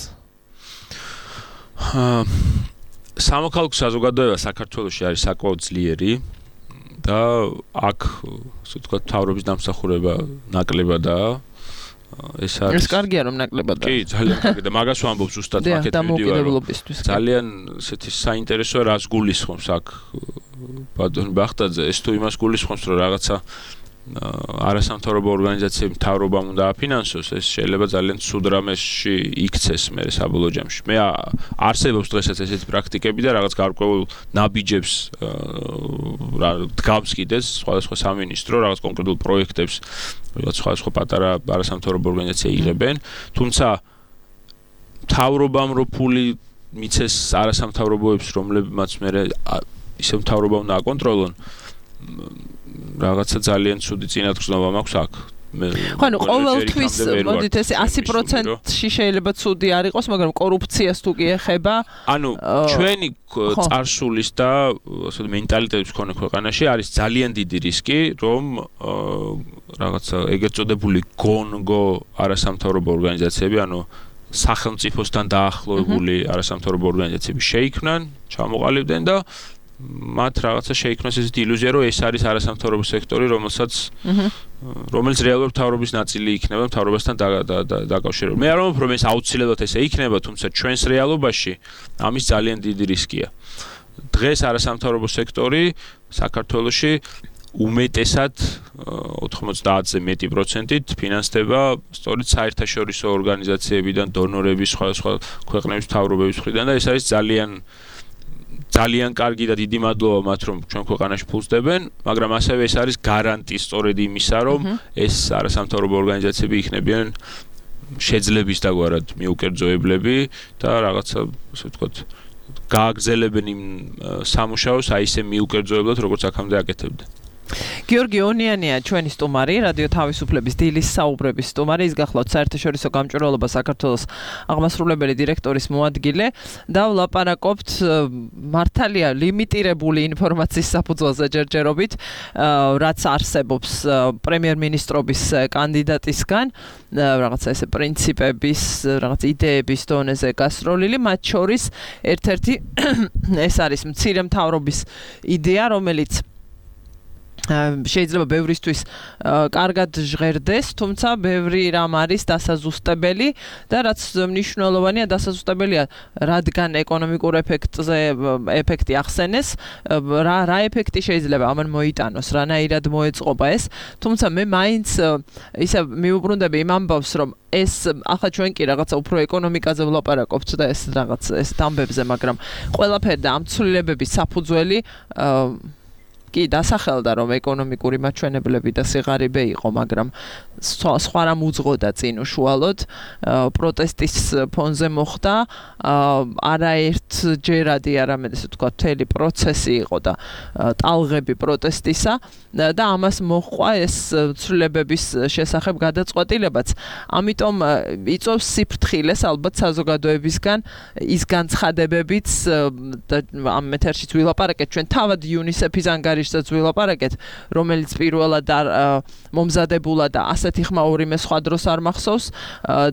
სამოქალაქო საზოგადოება საქართველოში არის საკმაოდ ძლიერი და აქ ესე ვთქვათ მთავრობის დამსახურება ნაკლებადაა. ეს არის ეს კარგია რომ ნაკლებად კი ძალიან კარგი და მაგას ვამბობ ზუსტად მაკეთ დამოუკიდებლობისთვის ძალიან ესეთი საინტერესოა რას გულისხმობს აქ ბატონ ბახტაძე ეს თუ იმას გულისხმობს რომ რაღაცა არასამთავრობო ორგანიზაციები მთავრობამ უნდა აფინანსოს ეს შეიძლება ძალიან ცუდ რამეში იქცეს მე საბოლოო ჯამში მე არსებობს დღესაც ესეთი პრაქტიკები და რაღაც გარკვეულ ნაბიჯებს დგამს კიდეც სხვადასხვა სამინისტრო რაღაც კონკრეტულ პროექტებს რაღაც სხვადასხვა პატარა არასამთავრობო ორგანიზაციები იღებენ თუმცა მთავრობამ რო ფული მიცეს არასამთავრობოებს რომლებმაც მე ისე მთავრობა უნდა აკონტროლონ რაღაცა ძალიან ცუდი წინათგრძნობა მაქვს აქ. ხო, ანუ ყოველთვის მოდით ესე ასი პროცენტში შეიძლება ცუდი არ იყოს, მაგრამ კორუფციას თუ კი ეხება, ანუ ჩვენი წარსულის და ასე მენტალიტეტის მქონე ქვეყანაში არის ძალიან დიდი რისკი, რომ რაღაცა ეგრეთ წოდებული გონგო არასამთავრობო ორგანიზაციები, ანუ სახელმწიფოსთან დაახლოებული არასამთავრობო ორგანიზაციები შეიქმნან, ჩამოყალიბდნენ და მათ რაღაცა შეიქმნეს ესეთი ილუზია, რომ ეს არის არასამთავრობო სექტორი, რომელსაც რომელიც რეალურად მთავრობის ნაწილი იქნება, მთავრობასთან დაკავშირებული. მე არ ვამბობ, რომ ეს აუცილებლად ესე იქნება, თუმცა ჩვენს რეალობაში ამის ძალიან დიდი რისკია. დღეს არასამთავრობო სექტორი საქართველოში უმეტესად ოთხმოცდაათზე მეტი პროცენტით ფინანსდება სწორედ საერთაშორისო ორგანიზაციებიდან, დონორების, სხვადასხვა ქვეყნების მთავრობების მხრიდან და ეს არის ძალიან ძალიან კარგი და დიდი მადლობა მათ რომ ჩვენ ქვეყანაში ფულს დებენ, მაგრამ ასევე ეს არის გარანტი სწორედ იმისა, რომ ეს არასამთავრობო ორგანიზაციები იქნებიან შეძლების დაგვარად მიუკერძოებლები და რაღაცა, ასე ვთქვათ, გააგრძელებენ იმ სამუშაოს აი ესე მიუკერძოებლად, როგორც აქამდე აკეთებდნენ. გიორგი ონიანია ჩვენი სტუმარი, რადიო თავისუფლების დილის საუბრების სტუმარი, ის გახლავთ საერთაშორისო გამჭვირვალობა საქართველოს აღმასრულებელი დირექტორის მოადგილე და ვლაპარაკობთ მართალია ლიმიტირებული ინფორმაციის საფუძველზე ჯერჯერობით, რაც არსებობს პრემიერ-მინისტრობის კანდიდატისგან, რაღაცა ესე პრინციპების, რაღაც იდეების დონეზე გასროლილი, მათ შორის ერთ-ერთი ეს არის მცირე მთავრობის იდეა, რომელიც შეიძლება ბევრისთვის კარგად ჟღერდეს, თუმცა ბევრი რამ არის დასაზუსტებელი და რაც მნიშვნელოვანია დასაზუსტებელია, რადგან ეკონომიკურ ეფექტზე ეფექტი ახსენეს, რა რა ეფექტი შეიძლება ამან მოიტანოს, რანაირად მოეწყობა ეს, თუმცა მე მაინც ისე მიუბრუნდები იმ ამბავს, რომ ეს ახლა ჩვენ კი რაღაცა უფრო ეკონომიკაზე ვლაპარაკობთ და ეს რაღაც ეს დამბებზე, მაგრამ ყველაფერი და ამ ცვლილებების საფუძველი კი დასახელდა რომ ეკონომიკური მაჩვენებლები და სიღარიბე იყო, მაგრამ სხვა რამ უძღოდა წინ უშუალოდ პროტესტის ფონზე მოხდა არაერთჯერადი არამედ ესე ვთქვათ მთელი პროცესი იყო და ტალღები პროტესტისა და ამას მოჰყვა ეს ცვლილებების შესახებ გადაწყვეტილებაც. ამიტომ იწვევს სიფრთხილეს ალბათ საზოგადოებისგან ის განცხადებებიც და ამ ეთერშიც ვილაპარაკეთ ჩვენ თავად იუნისეფის ანგარიშსაც ვილაპარაკეთ, რომელიც პირველად მომზადებულა და ასეთი ხმაური მე სხვა დროს არ მახსოვს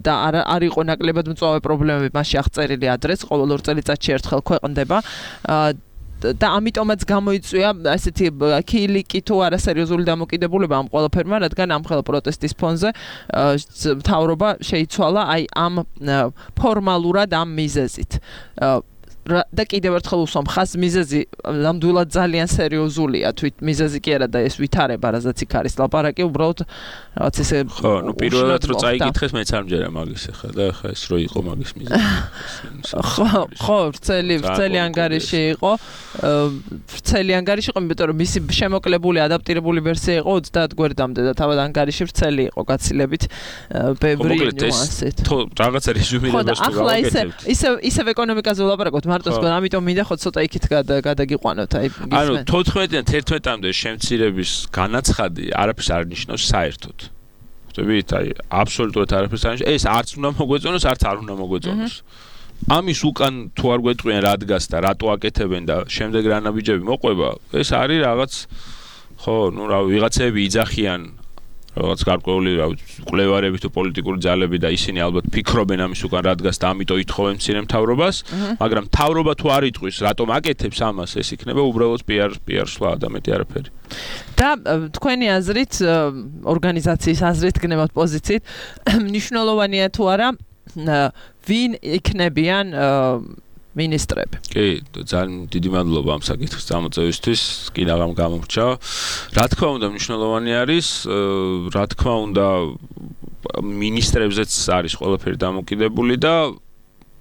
და არ იყო ნაკლებად მწვავე პრობლემები მასში აღწერილი ადრეს, ყოველ ორ წელიწადში ერთხელ ქვეყნდება და ამიტომაც გამოიწვია ასეთი ქილიკი თუ არასერიოზული დამოკიდებულება ამ ყველაფერმა, რადგან ამ ხელა პროტესტის ფონზე მთავრობა შეიცვალა აი ამ ფორმალურად ამ მიზეზით. და კიდევ ერთხელ უსვამ ხაზს მიზეზი ნამდვილად ძალიან სერიოზულია, თვით მიზეზი კი არა და ეს ვითარება, რაზეც იქ არის ლაპარაკი, უბრალოდ რაღაც ესე ხო, ნუ პირველად რო წაიკითხეს მეც არ მჯერა მაგის ახლა და ახლა ეს რო იყო მაგის მიზეზი. ხო, ხო, ვრცელი, ვრცელი ანგარიში იყო. ვრცელი ანგარიში იყო, იმიტომ რომ მისი შემოკლებული, ადაპტირებული ვერსია იყო ოცდაათ გვერდამდე და თავად ანგარიში ვრცელი იყო გაცილებით ბევრი ნიუანსით. ხო, რაღაცა რეზუმირებას თუ გავაკეთებთ. ისე ისე ეკონომიკაზე ვლაპარაკობთ, მარტოს ამიტომ მინდა ხო ცოტა იქით გადაგიყვანოთ, აი ანუ თოთხმეტიდან თერთმეტამდე შემცირების განაცხადი არაფერს არ ნიშნავს საერთოდ. ხვდებით, აი აბსოლუტურად არაფერს არ ნიშნავს. ეს არც უნდა მოგვეწონოს, არც არ უნდა მოგვეწონოს. ამის უკან თუ არ გვეტყვიან რა დგას და რატო აკეთებენ და შემდეგ რა ნაბიჯები მოყვება, ეს არის რაღაც ხო, ნუ რა ვიღაცები იძახიან რაღაც გარკვეული კვლევარები თუ პოლიტიკური ძალები და ისინი ალბათ ფიქრობენ ამის უკან რადგან და ამიტომ ითხოვენ მცირე მთავრობას, მაგრამ მთავრობა თუ არ იტყვის, რატომ აკეთებს ამას, ეს იქნება უბრალოდ პიარ პიარ სვლა და მეტი არაფერი. და თქვენი აზრით, ორგანიზაციის აზრით, გნებავთ პოზიციით, მნიშვნელოვანია თუ არა ვინ იქნებიან მინისტრები. კი, ძალიან დიდი მადლობა ამ საკითხის წამოწევისთვის, კი რაღამ გამომრჩა. რა თქმა უნდა, მნიშვნელოვანი არის, რა თქმა უნდა, მინისტრებზეც არის ყველაფერი დამოკიდებული და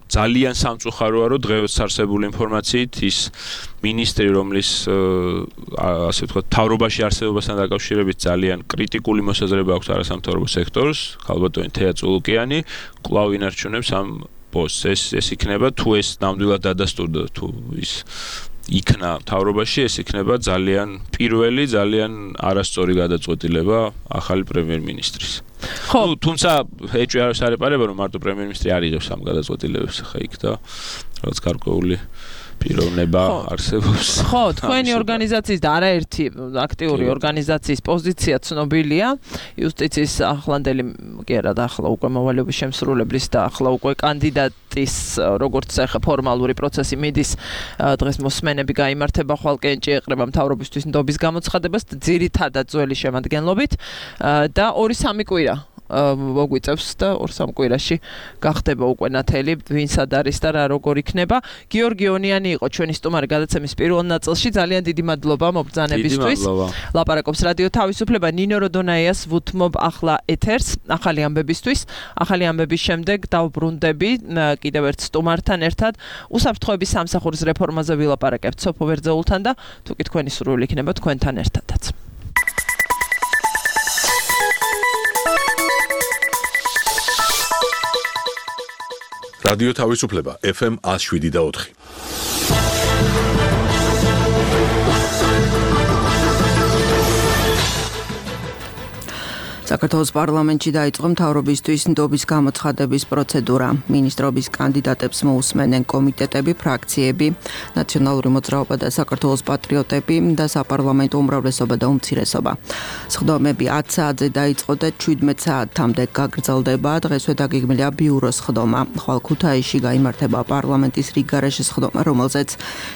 ძალიან სამწუხაროა, რომ დღეს არსებული ინფორმაციით ის მინისტრი, რომლის ასე ვთქვათ, მთავრობაში არსებობასთან დაკავშირებით ძალიან კრიტიკული მოსაზრება აქვს არასამთავრობო სექტორს, ქალბატონი თეა წულუკიანი, კვლავ ინარჩუნებს ამ პოსტს. ეს ეს იქნება თუ ეს ნამდვილად დადასტურდა თუ ის იქნა მთავრობაში, ეს იქნება ძალიან პირველი, ძალიან არასწორი გადაწყვეტილება ახალი პრემიერ-მინისტრის. ხო, ну, თუმცა ეჭვი არ სარეპარება, რომ მარტო პრემიერ-მინისტრი არ იღებს ამ გადაწყვეტილებებს ხა იქ და რაღაც გარკვეული პიროვნება არსებობს. ხო, თქვენი ორგანიზაციის და არაერთი აქტიური ორგანიზაციის პოზიცია ცნობილია. იუსტიციის ახლანდელი კი არა და ახლა უკვე მოვალეობის შემსრულებლის და ახლა უკვე კანდიდატის როგორც ახლა ფორმალური პროცესი მიდის, დღეს მოსმენები გაიმართება, ხვალ კენჭი ეყრება მთავრობისთვის ნდობის გამოცხადებას ძირითადად ძველი შემადგენლობით და ორი სამი კვირა მოგვიწევს და ორ სამ კვირაში გახდება უკვე ნათელი ვინ სად არის და რა როგორ იქნება. გიორგი ონიანი იყო ჩვენი სტუმარი გადაცემის პირველ ნაწილში. ძალიან დიდი მადლობა მობრძანებისთვის. ლაპარაკობს რადიო თავისუფლება. ნინო როდონაიას ვუთმობ ახლა ეთერს ახალი ამბებისთვის. ახალი ამბების შემდეგ დავბრუნდები კიდევ ერთ სტუმართან ერთად. უსაფრთხოების სამსახურის რეფორმაზე ვილაპარაკებთ სოფო ვერძეულთან და თუ კი თქვენი სურვილი იქნება თქვენთან ერთადაც. რადიო თავისუფლება ეფ ემ one oh seven და four. საქართველოს პარლამენტში დაიწყო მთავრობისთვის ნდობის გამოცხადების პროცედურა. მინისტრობის კანდიდატებს მოусმენენ კომიტეტები, ფრაქციები, ნაციონალური მოძრაობა და საქართველოს პატრიოტები და საპარლამენტო უმრავლესობა და უმცირესობა. სხდომები ათი საათზე დაიწყო და შვიდმეტ საათამდე გაგრძელდება. დღესვე დაგეგმილია ბიუროს სხდომა. ხვალ ქუთაისში გაიმართება პარლამენტის რიგგარეშე სხდომა, რომელზეც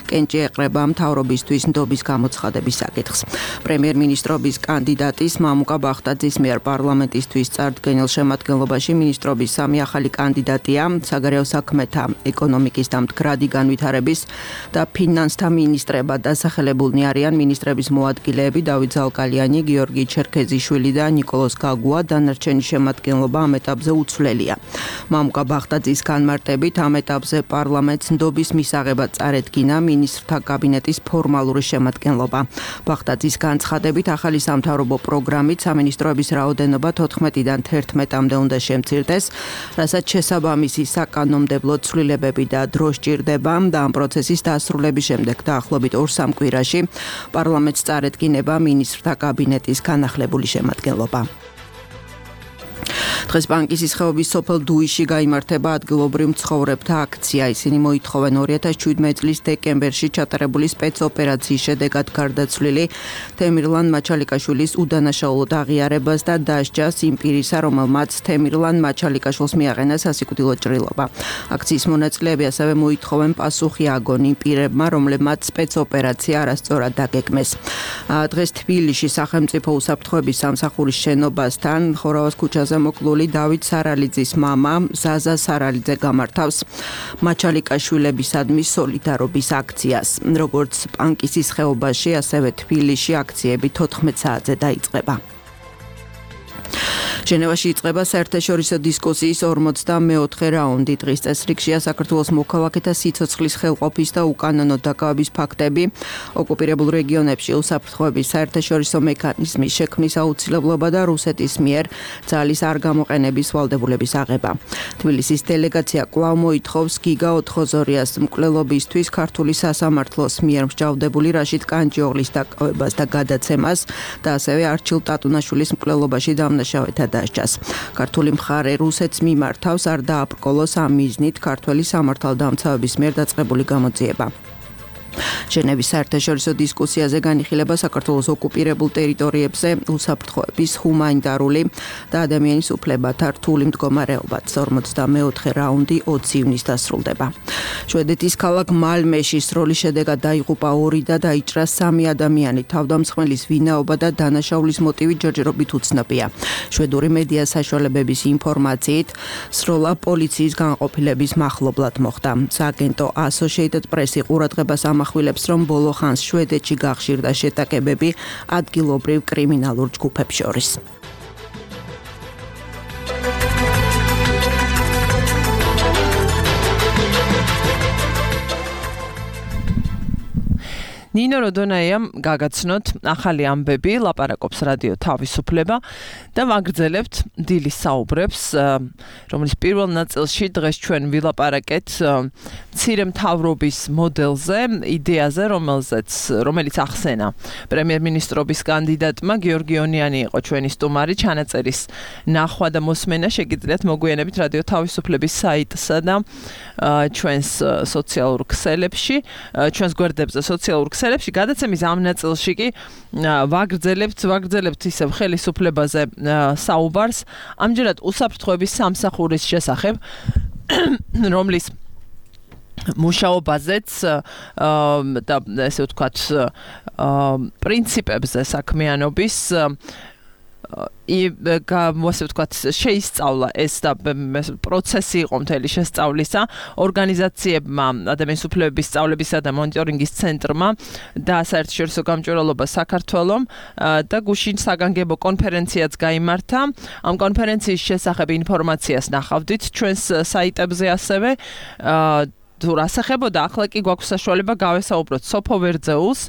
კენჭი ეყრება მთავრობისთვის ნდობის გამოცხადების საკითხს. პრემიერ-მინისტრობის კანდიდატის მამუკა ბახტაძის მიერ პარლამენტისთვის წარდგენილ შემადგენლობაში მინისტრობის სამი ახალი კანდიდატია: საგარეო საქმეთა, ეკონომიკის და მდგრადი განვითარების და ფინანსთა მინისტრება. დასახელებულნი არიან მინისტრების მოადგილეები დავით ზალკალიანი, გიორგი ჩერქეზიშვილი და ნიკოლოზ გაგუა. დანარჩენი შემადგენლობა ამ ეტაპზე უცვლელია. მამუკა ბახტაძის განმარტებით ამ ეტაპზე პარლამენტს ნდობის მისაღებად წარედგინა მინისტრთა კაბინეტის ფორმალური შემადგენლობა. ბახტაძის განცხადებით ახალი სამთავრობო პროგრამით სამინისტროების რაოდენობა თოთხმეტიდან თერთმეტამდე უნდა შემცირდეს, რასაც შესაბამისი საკანონმდებლო ცვლილებები და დრო სჭირდება და ამ პროცესის დასრულების შემდეგ დაახლოებით ორ სამ კვირაში პარლამენტს წარედგინება მინისტრთა კაბინეტის განახლებული შემადგენლობა. დღეს ბანკის ხეობის სოფელ დუიში გაიმართება ადგილობრივ მცხოვრებთა აქცია. ისინი მოითხოვენ ორი ათას შვიდმეტი წლის დეკემბერში ჩატარებული სპეცოპერაციის შედეგად გარდაცვლილი თემირლან მაჩალიკაშვილის უდანაშაულოდ აღიარებას და დასჯას იმ პირისა, რომელმაც თემირლან მაჩალიკაშვილს მიაყენა სასიკვდილო ჭრილობა. აქციის მონაწილეები ასევე მოითხოვენ პასუხი აგონ იმ პირებმა, რომლებმაც სპეცოპერაცია არასწორად დაგეგმეს. დღეს თბილისში სახელმწიფო უსაფრთხოების სამსახურის შენობასთან ხორავას ქუჩაზე მოკლული დავით სარალიძის მამა ზაზა სარალიძე გამართავს მაჩალიკაშვილებისადმი სოლიდარობის აქციას. როგორც პანკისის ხეობაში, ასევე თბილისში აქციები თოთხმეტ საათზე დაიწყება. ჟენევაში იწყება საერთაშორისო დისკუსიის ორმოცდამეოთხე რაუნდი. დღის წესრიგშია საქართველოს მოქალაქეთა სიცოცხლის ხელყოფის და უკანონო დაკავების ფაქტები, ოკუპირებულ რეგიონებში უსაფრთხოების საერთაშორისო მექანიზმის შექმნის აუცილებლობა და რუსეთის მიერ ძალის არ გამოყენების ვალდებულების აღება. თბილისის დელეგაცია კვლავ მოითხოვს გიგა ოთხოზორიას მკვლელობისთვის ქართული სასამართლოს მიერ მსჯავრდებული რაშიდ კანჯიოღლის დაკავებას და გადაცემას და ასევე არჩილ ტატუნაშვილის მკვლელობაში დამნაშავეთა დასჯას. ქართული მხარე რუსეთს მიმართავს არ დააბრკოლოს ამ მიზნით ქართველი სამართალდამცავების მიერ დაწყებული გამოძიება. ჟენევის საერთაშორისო დისკუსიაზე განიხილება საქართველოს ოკუპირებულ ტერიტორიებზე უსაფრთხოების ჰუმანიტარული და ადამიანის უფლებათა რთული მდგომარეობაც. ორმოცდამეოთხე რაუნდი ოცი ივნისს დასრულდება. შვედეთის ქალაქ მალმეში სროლის შედეგად დაიღუპა ორი და დაიჭრა სამი ადამიანი. თავდამსხმელის ვინაობა და დანაშაულის მოტივი ჯერჯერობით უცნობია. შვედური მედია საშუალებების ინფორმაციით სროლა პოლიციის განყოფილების მახლობლად მოხდა. სააგენტო Associated Press-ი ყურადღებას ამახვილებს, რომ ბოლო ხანს შვედეთში გახშირდა შეტაკებები ადგილობრივ კრიმინალურ ჯგუფებს შორის. ნინო როდონაიამ გაგაცნოთ ახალი ამბები, ლაპარაკობს რადიო თავისუფლება და ვაგრძელებთ დილის საუბრებს, რომლის პირველ ნაწილში დღეს ჩვენ ვილაპარაკეთ მცირე მთავრობის მოდელზე, იდეაზე, რომელზეც რომელიც ახსენა პრემიერ-მინისტრობის კანდიდატმა გიორგი ონიანი იყო ჩვენი სტუმარი, ჩანაწერის ნახვა და მოსმენა შეგიძლიათ მოგვიანებით რადიო თავისუფლების საიტსა და ჩვენს სოციალურ ქსელებში, ჩვენს გვერდებზე სოციალურ ქსელებში გადაცემის ამ ნაწილში კი ვაგრძელებთ, ვაგრძელებთ ისევ ხელისუფლებაზე საუბარს, ამჯერად უსაფრთხოების სამსახურის შესახებ, რომლის მუშაობაზეც და ესე ვთქვათ პრინციპებზე საქმიანობის ასე ვთქვათ შეისწავლა ეს და პროცესი იყო მთელი შესწავლისა ორგანიზაციებმა ადამიანის უფლებების სწავლებისა და მონიტორინგის ცენტრმა და საერთაშორისო გამჭვირვალობა საქართველომ და გუშინ საგანგებო კონფერენციაც გაიმართა. ამ კონფერენციის შესახებ ინფორმაციას ნახავდით ჩვენს საიტებზე ასევე თუ რასახებოდა, ახლა კი გვაქვს საშუალება გავესაუბროთ სოფო ვერძეულს,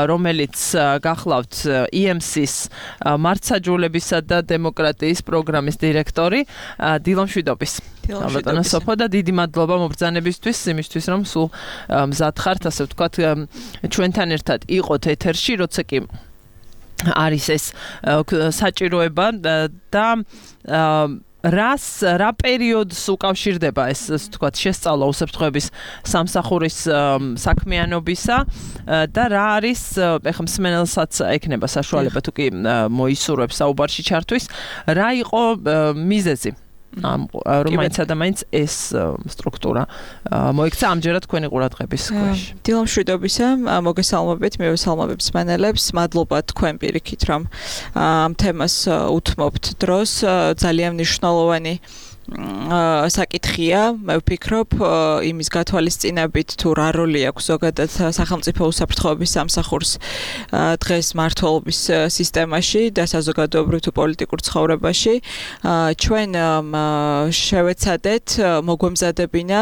რომელიც გახლავთ ი ემ სის მართსაჯულებისა და დემოკრატიის პროგრამის დირექტორი. დილამშვიდობის. ალბათანა სოფო და დიდი მადლობა მობრძანებისთვის, იმისთვის რომ სულ მზად ხართ, ასე ვთქვათ, ჩვენთან ერთად იყოთ ეთერში, როცა კი არის ეს საჭიროება და რას რა პერიოდს უკავშირდება ეს ვთქვათ შესწავლა უსაფრთხოების სამსახურის საქმიანობისა და რა არის ეხლა მსმენელსაც ექნება საშუალება თუ კი მოისურვებს საუბარში ჩართვის, რა იყო მიზეზი რომელიც ადამიანს ეს სტრუქტურა მოიქცა ამჯერად თქვენი ყურადღების ქვეშ. დილამშვიდობისა, მოგესალმებით, მივესალმებით მსმენელებს, მადლობა თქვენ პირიქით, რომ ამ თემას უთმობთ დროს, ძალიან მნიშვნელოვანი საკითხია, მე ვფიქრობ, იმის გათვალისწინებით თუ რა როლი აქვს ზოგადად სახელმწიფო უსაფრთხოების სამსახურს დღეს მართლობის სისტემაში და საზოგადოებრივ თუ პოლიტიკურ ცხოვრებაში. ჩვენ შევეცადეთ მოგვემზადებინა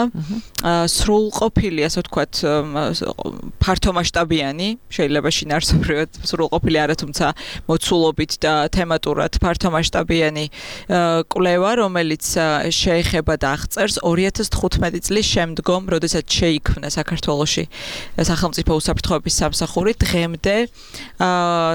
სრულყოფილი, ასე ვთქვათ, ფართომასშტაბიანი, შეიძლება შინაარსობრივად სრულყოფილი არა, თუმცა მოცულობით და თემატურად ფართომასშტაბიანი კვლევა, რომელიც შეეხება და აღწერს ორი ათას თხუთმეტი წლის შემდგომ, როდესაც შეიქმნა საქართველოში სახელმწიფო უსაფრთხოების სამსახური, დღემდე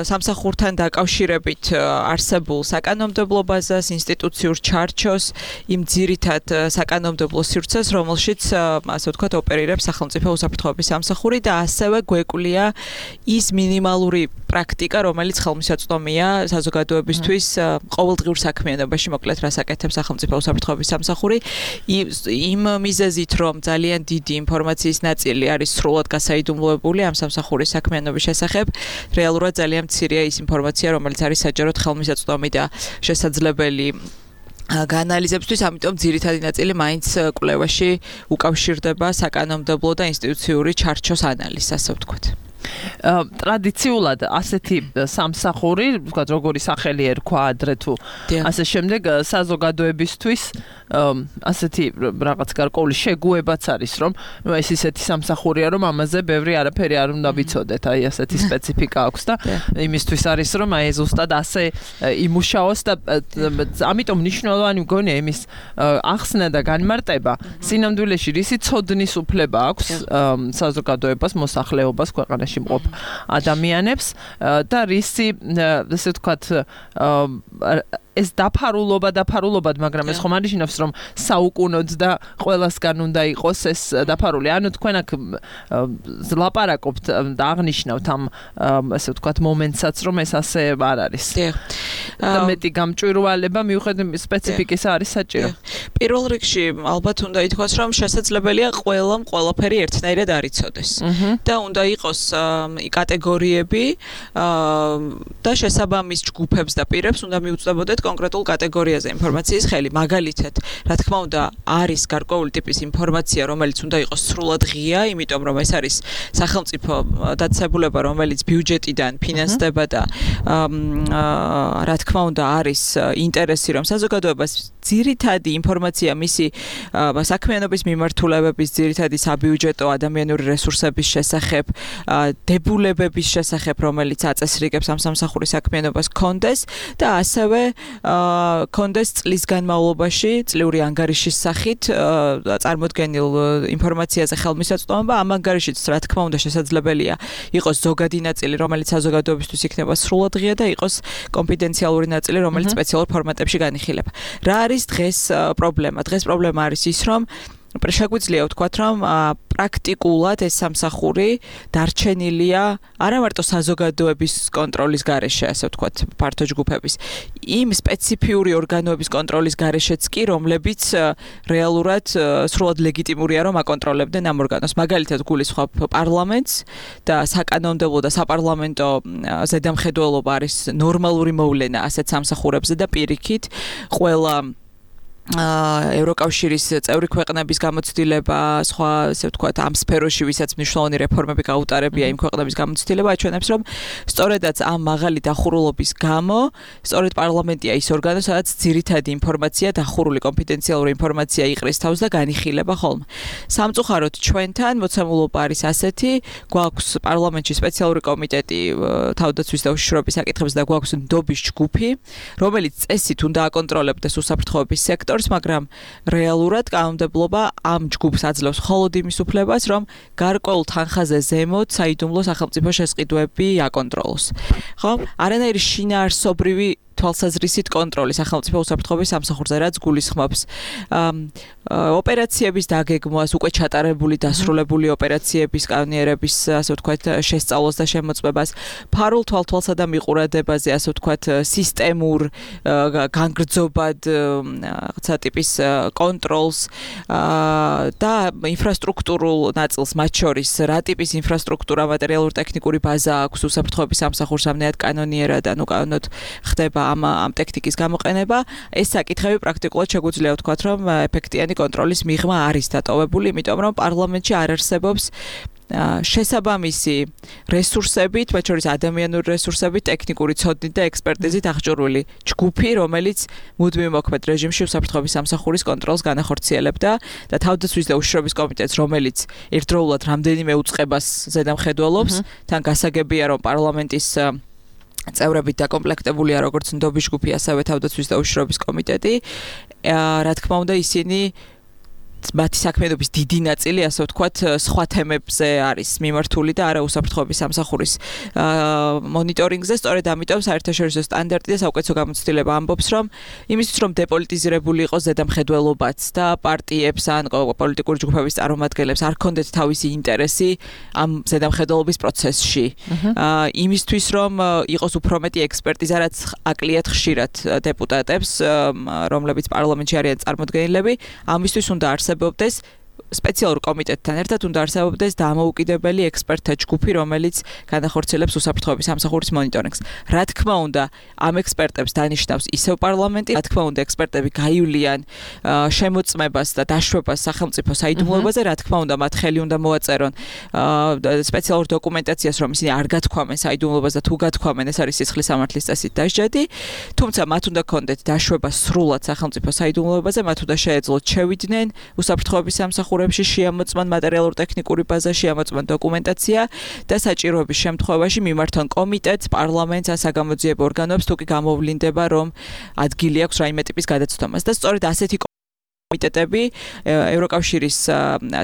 სამსახურთან დაკავშირებით არსებულ საკანონმდებლო ბაზას, ინსტიტუციურ ჩარჩოს, იმ ძირითად საკანონმდებლო სივრცეს, რომელშიც ასე ვთქვათ ოპერირებს სახელმწიფო უსაფრთხოების სამსახური და ასევე გვეკვლია ის მინიმალური პრაქტიკა, რომელიც ხელმისაწვდომია საზოგადოებისთვის ყოველდღიურ საქმიანობაში, მოკლედ რას აკეთებს სახელმწიფო უსაფრთხოების სამსახური, იმ მიზეზით, რომ ძალიან დიდი ინფორმაციის ნაწილი არის სრულად გასაიდუმლოებული ამ სამსახურის საქმიანობის შესახებ, რეალურად ძალიან მცირეა ის ინფორმაცია, რომელიც არის საჯაროდ ხელმისაწვდომი და შესაძლებელი გაანალიზებისთვის, ამიტომ ძირითადი ნაწილი მაინც კვლევაში უკავშირდება საკანონმდებლო და ინსტიტუციური ჩარჩოს ანალიზს, ასე ვთქვათ. ტრადიციულად ასეთი სამსახური, ვთქვათ, როგორი სახელი ერქვა ადრე თუ ასე შემდეგ საზოგადოებისთვის ასეთი რაღაც გარკვეული შეგუებაც არის, რომ ნუ ეს ისეთი სამსახურია, რომ ამაზე ბევრი არაფერი არ უნდა ვიცოდეთ, აი ასეთი სპეციფიკა აქვს და იმისთვის არის, რომ აი ზუსტად ასე იმუშაოს და ამიტომ მნიშვნელოვანი მგონია იმის ახსნა და განმარტება, სინამდვილეში რისი ცოდნის უფლება აქვს საზოგადოებას, მოსახლეობას, ქვეყანაში მყოფ ადამიანებს და რისი, ასე ვთქვათ, ეს დაფარულობა დაფარულობად, მაგრამ ეს ხომ არ ნიშნავს, რომ საუკუნოდ და ყველასგან უნდა იყოს ეს დაფარული. ანუ თქვენ აქ ლაპარაკობთ და აღნიშნავთ ამ ასე ვთქვათ მომენტსაც, რომ ეს ასე არ არის. და მეტი გამჭვირვალება მიუხედავად სპეციფიკის არის საჭირო. პირველ რიგში ალბათ უნდა ითქვას, რომ შესაძლებელია ყველამ ყველაფერი ერთნაირად არ იცოდეს. და უნდა იყოს კატეგორიები და შესაბამის ჯგუფებს და პირებს უნდა მიუწვდებოდეთ კონკრეტულ კატეგორიაზე ინფორმაციის ხელი. მაგალითად, რა თქმა უნდა, არის გარკვეული ტიპის ინფორმაცია, რომელიც უნდა იყოს სრულად ღია, იმიტომ რომ ეს არის სახელმწიფო დაწესებულება, რომელიც ბიუჯეტიდან ფინანსდება და რა თქმა უნდა, არის ინტერესი, რომ საზოგადოებას ძირითადი ინფორმაცია მისი საქმიანობის მიმართულებების, ძირითადი საბიუჯეტო ადამიანური რესურსების შესახებ, დებულებების შესახებ, რომელიც აწესრიგებს ამ სამსახურის საქმიანობას კონდეს და ასევე კონდეს წლის განმავლობაში წლიური ანგარიშის სახით წარმოდგენილ ინფორმაციაზე ხელმისაწვდომა, ამ ანგარიშიც რა თქმა უნდა შესაძლებელია იყოს ზოგადი ნაწილი, რომელიც საზოგადოებისთვის იქნება სრულად ღია და იყოს კონფიდენციალური ნაწილი, რომელიც სპეციალურ ფორმატებში განიხილება. რა არის დღეს პრობლემა? დღეს პრობლემა არის ის, რომ შეგვიძლია ვთქვათ, რომ პრაქტიკულად ეს სამსახური დარჩენილია არა მარტო საზოგადოების კონტროლის გარეშე, ასე ვთქვათ, ფართო ჯგუფების, იმ სპეციფიური ორგანოების კონტროლის გარეშეც კი, რომლებიც რეალურად სრულად ლეგიტიმურია, რომ აკონტროლებდნენ ამ ორგანოს. მაგალითად, გულისხმობ პარლამენტს და საკანონმდებლო და საპარლამენტო ზედამხედველობა არის ნორმალური მოვლენა ასეთ სამსახურებზე და პირიქით ყველა ევროკავშირის წევრი ქვეყნების გამოცდილება, სხვა ასე ვთქვათ, ამ სფეროში ვისაც მნიშვნელოვანი რეფორმები გაუტარებია იმ ქვეყნების გამოცდილება, აჩვენებს, რომ სწორედაც ამ მაღალი დახურულობის გამო, სწორედ პარლამენტია ის ორგანო, სადაც ძირითადი ინფორმაცია, დახურული კონფიდენციალური ინფორმაცია იყრის თავს და განიხილება ხოლმე. სამწუხაროდ ჩვენთან მოცემულობა არის ასეთი, გვაქვს პარლამენტში სპეციალური კომიტეტი თავდაცვის და უშიშროების საკითხებზე და გვაქვს ნდობის ჯგუფი, რომელიც წესით უნდა აკონტროლებდეს უსაფრთხოების სექტორს, მაგრამ რეალურად კანონმდებლობა ამ ჯგუფს აძლევს მხოლოდ იმის უფლებას, რომ გარკვეულ თანხაზე ზემოთ საიდუმლო სახელმწიფო შესყიდვები აკონტროლოს. ხო? არანაირი შინაარსობრივი თვალსაზრისით კონტროლი სახელმწიფო უსაფრთხოების სამსახურზე, რაც გულისხმობს ოპერაციების დაგეგმვას, უკვე ჩატარებული დასრულებული ოპერაციების კანონიერების, ასე ვთქვათ, შესწავლას და შემოწმებას, ფარულ თვალთვალსა და მიყურადებაზე, ასე ვთქვათ, სისტემურ განგრძობად რაღაცა ტიპის კონტროლს და ინფრასტრუქტურულ ნაწილს, მათ შორის რა ტიპის ინფრასტრუქტურა, მატერიალურ-ტექნიკური ბაზა აქვს უსაფრთხოების სამსახურს, ამნაირად კანონიერად, ანუ კანონოდ ხდება ამ ამ ტექნიკის გამოყენება, ეს საკითხები პრაქტიკულად შეგვიძლია ვთქვათ, რომ ეფექტიანი კონტროლის მიღმა არის დატოვებული, იმიტომ რომ პარლამენტში არ არსებობს შესაბამისი რესურსებით, მათ შორის ადამიანური რესურსებით, ტექნიკური ცოდნით და ექსპერტიზით აღჭურვილი ჯგუფი, რომელიც მუდმივ მოქმედ რეჟიმში უსაფრთხოების სამსახურის კონტროლს განახორციელებდა და თავდაცვის და უშიშროების კომიტეტს, რომელიც ერთდროულად რამდენიმე უწყებას ზედამხედველობს, თან გასაგებია, რომ პარლამენტის წევრებით დაკომპლექტებულია როგორც ნდობის ჯგუფი, ასევე თავდაცვის და უშიშროების კომიტეტი. რა თქმა უნდა, ისინი მათი საქმიანობის დიდი ნაწილი, ასე ვთქვათ, სხვა თემებზე არის მიმართული და არა უსაფრთხოების სამსახურის მონიტორინგზე. სწორედ ამიტომ საერთაშორისო სტანდარტი და საუკეთესო გამოცდილება ამბობს, რომ იმისთვის, რომ დეპოლიტიზირებული იყოს ზედამხედველობაც და პარტიებს ან პოლიტიკური ჯგუფების წარმომადგენლებს არ ქონდეთ თავისი ინტერესი ამ ზედამხედველობის პროცესში. იმისთვის, რომ იყოს უფრო მეტი ექსპერტიზა, რაც აკლიათ ხშირად დეპუტატებს, რომლებიც პარლამენტში არიან წარმოდგენილები, ამისთვის უნდა არსებობდეს სპეციალურ კომიტეტთან ერთად უნდა არსებობდეს დამოუკიდებელი ექსპერტთა ჯგუფი, რომელიც განახორციელებს უსაფრთხოების სამსახურის მონიტორინგს. რა თქმა უნდა, ამ ექსპერტებს დანიშნავს ისევ პარლამენტი, რა თქმა უნდა, ექსპერტები გაივლიან შემოწმებას და დაშვებას სახელმწიფო საიდუმლოებაზე, რა თქმა უნდა, მათ ხელი უნდა მოაწერონ სპეციალურ დოკუმენტაციას, რომ ისინი არ გათქვამენ საიდუმლოებას და თუ გათქვამენ, ეს არის სისხლის სამართლის წესით დასჯადი, თუმცა მათ უნდა ქონდეთ დაშვება სრულად სახელმწიფო საიდუმლოებაზე, მათ უნდა შეეძლოთ შევიდნენ უსაფრთხოების სამსახურში შეამოწმონ მატერიალურ-ტექნიკური ბაზა, შეამოწმონ დოკუმენტაცია და საჭიროების შემთხვევაში მიმართონ კომიტეტს, პარლამენტს, საგამოძიებო ორგანოებს, თუ კი გამოვლინდება, რომ ადგილი აქვს რაიმე ტიპის გადაცდომას და სწორედ ასეთი კომიტეტები ევროკავშირის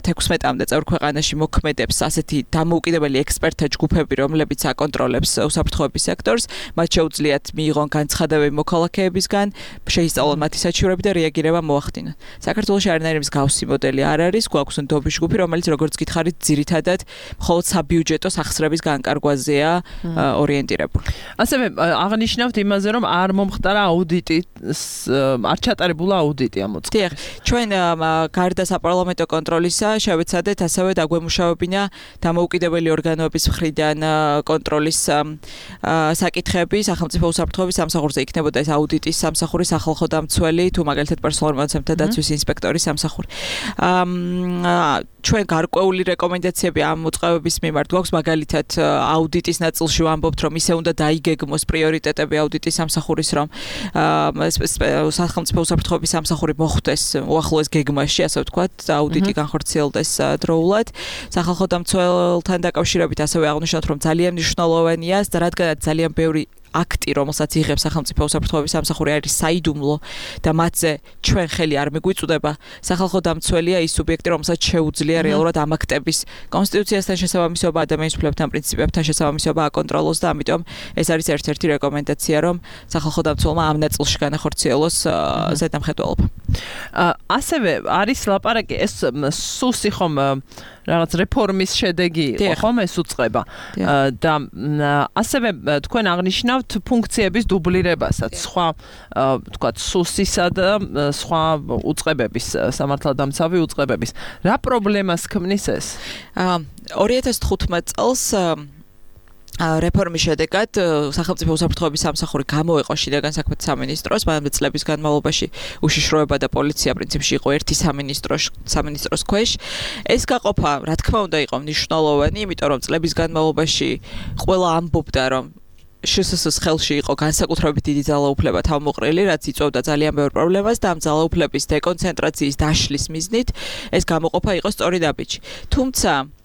თექვსმეტამდე წევრ ქვეყანაში მოქმედებს ასეთი დამოუკიდებელი ექსპერტთა ჯგუფები, რომლებიც აკონტროლებს უსაფრთხოების სექტორს, მათ შეუძლიათ მიიღონ განცხადებები მოქალაქეებისგან, შეისწავლონ მათი საჩივრები და რეაგირება მოახდინონ. საქართველოში არანაირი მსგავსი მოდელი არ არის, გვაქვს ნდობის ჯგუფი, რომელიც როგორც გითხარით, ძირითადად მხოლოდ საბიუჯეტო სახსრების განკარგვაზეა ორიენტირებული. ასევე აღნიშნავთ იმაზე, რომ არ მომხდარა აუდიტი, არ ჩატარებულა აუდიტი ამ მოწყობილ. ჩვენ გარდა საპარლამენტო კონტროლისა შევეცადეთ ასევე დაგვემუშავებინა დამოუკიდებელი ორგანოების მხრიდან კონტროლის საკითხები სახელმწიფო უსაფრთხოების სამსახურზე იქნებოდა ეს აუდიტის სამსახური, სახალხო დამცველი თუ მაგალითად პერსონალურ მონაცემთა დაცვის ინსპექტორის სამსახური. ჩვენ გარკვეული რეკომენდაციები ამ მოწყობების მიმართ გვაქვს, მაგალითად აუდიტის ნაწილში ვამბობთ, რომ ისე უნდა დაიგეგმოს პრიორიტეტები აუდიტის სამსახურის, რომ სახელმწიფო უსაფრთხოების სამსახური მოხვდეს უახლოეს გეგმაში, ასე ვთქვათ, აუდიტი განხორციელდეს დროულად. სახალხო დამცველთან დაკავშირებით ასევე აღნიშნოთ, რომ ძალიან მნიშვნელოვანია, რადგანაც ძალიან ბევრი აქტი, რომელსაც იღებს სახელმწიფო უსაფრთხოების სამსახური არის საიდუმლო და მათზე ჩვენ ხელი არ მიგვიწვდება. სახალხო დამცველია ის სუბიექტი, რომელსაც შეუძლია რეალურად ამ აქტების კონსტიტუციასთან შესაბამისობა, ადამიანის უფლებებთან, პრინციპებთან შესაბამისობა აკონტროლოს და ამიტომ ეს არის ერთ-ერთი რეკომენდაცია, რომ სახალხო დამცველმა ამ ნაწილში განახორციელოს ზედამხედველობა. ასევე არის ლაპარაკი ეს სუსი ხომ რაღაც რეფორმის შედეგი იყო ხომ ეს უწყება და ასევე თქვენ აღნიშნავთ ფუნქციების დუბლირებასაც სხვა თქვათ სუსისა და სხვა უწყებების სამართალდამცავი უწყებების რა პრობლემას ქმნის ეს ორი ათას თხუთმეტ წელს რეფორმის შედეგად სახელმწიფო უსაფრთხოების სამსახური გამოეყო შინაგან საქმეთა სამინისტროს, მანამდე წლების განმავლობაში უშიშროება და პოლიცია პრინციპში იყო ერთი სამინისტროს სამინისტროს ქვეშ. ეს გაყოფა, რა თქმა უნდა, იყო მნიშვნელოვანი, იმიტომ რომ წლების განმავლობაში ყველა ამბობდა, რომ შსს ხელში იყო განსაკუთრებით დიდი ძალაუფლება თავმოყრილი, რაც იწვევდა ძალიან ბევრ პრობლემას და ამ ძალაუფლების დეკონცენტრაციის დაშლის მიზნით ეს გამოყოფა იყო სწორი დაბიჯი. თუმცა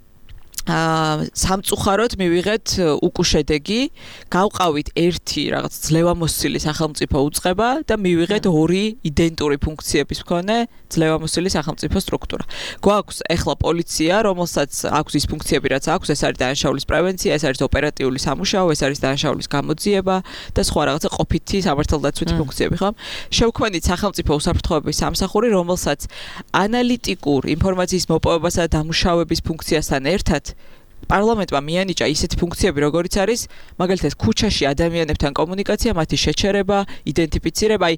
სამწუხაროდ მივიღეთ უკუშედეგი, გავყავით ერთი რაღაც ძლევამოსილი სახელმწიფო უწყება და მივიღეთ ორი იდენტური ფუნქციების მქონე ძლევამოსილი სახელმწიფო სტრუქტურა. გვაქვს ეხლა პოლიცია, რომელსაც აქვს ის ფუნქციები, რაც აქვს, ეს არის დანაშაულის პრევენცია, ეს არის ოპერატიული სამუშაო, ეს არის დანაშაულის გამოძიება და სხვა რაღაცა ყოფითი სამართალდაცვითი ფუნქციები, ხო? შევქმნით სახელმწიფო უსაფრთხოების სამსახური, რომელსაც ანალიტიკურ ინფორმაციის მოპოვებასა და დამუშავების ფუნქციასთან ერთად პარლამენტმა მიანიჭა ისეთი ფუნქციები, როგორიც არის, მაგალითად, ქუჩაში ადამიანებთან კომუნიკაცია, მათი შეჩერება, იდენტიფიცირება, აი,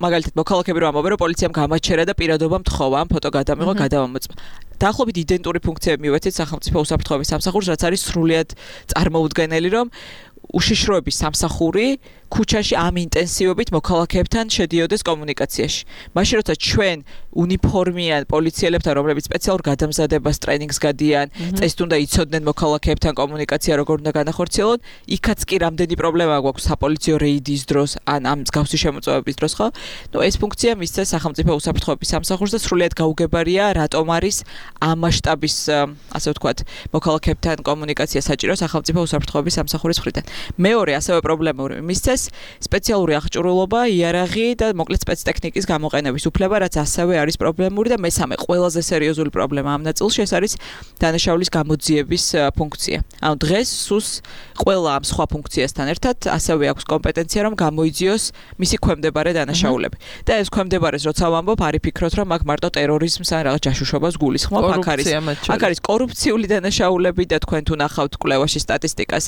მაგალითად, მოქალაქეები რომ ამბობენ, რომ პოლიციამ გამაჩერა და პირადობა მთხოვა, ამ ფოტო გადამიღო, გადავამოწმა. დაახლოებით იდენტური ფუნქციები მივეცეთ სახელმწიფო უსაფრთხოების სამსახურს, რაც არის სრულიად წარმოუდგენელი, რომ უშიშროების სამსახური ქუჩაში ამ ინტენსივობით მოქალაქეებთან შედიოდეს კომუნიკაციაში. მაშინ როცა ჩვენ უნიფორმიან პოლიციელებთან, რომლებიც სპეციალურ გადამზადებას ტრენინგს გადიან, წესით უნდა იცოდნენ მოქალაქეებთან კომუნიკაცია როგორ უნდა განახორციელონ, იქაც კი რამდენი პრობლემა გვაქვს საპოლიციო რეიდის დროს, ან ამ მსგავსი შემოწმებების დროს, ხო? ნუ ეს ფუნქცია მისცეს სახელმწიფო უსაფრთხოების სამსახურს და სრულიად გაუგებარია, რატომ არის ამ მასშტაბის, ასე ვთქვათ, მოქალაქეებთან კომუნიკაცია საჭირო სახელმწიფო უსაფრთხოების სამსახურის მხრიდან. მეორე ასევე პრობლემური მისცეს სპეციალური აღჭურვილობა, იარაღი და მოკლედ სპეცტექნიკის გამოყენების უფლება, რაც ასევე არის პრობლემური და მესამე ყველაზე სერიოზული პრობლემა ამ ნაწილში ეს არის დანაშაულის გამოძიების ფუნქცია. ანუ დღეს სუს ყველა ამ სხვა ფუნქციასთან ერთად ასევე აქვს კომპეტენცია, რომ გამოიძიოს მისი ქვემდებარე დანაშაულები. და ეს ქვემდებარეს როცა ვამბობ, არ იფიქროთ, რომ აქ მარტო ტერორიზმს ან რაღაც ჯაშუშობას გულისხმობ, აქ არის აქ არის კორუფციული დანაშაულები და თქვენ თუ ნახავთ კვლევაში სტატისტიკას,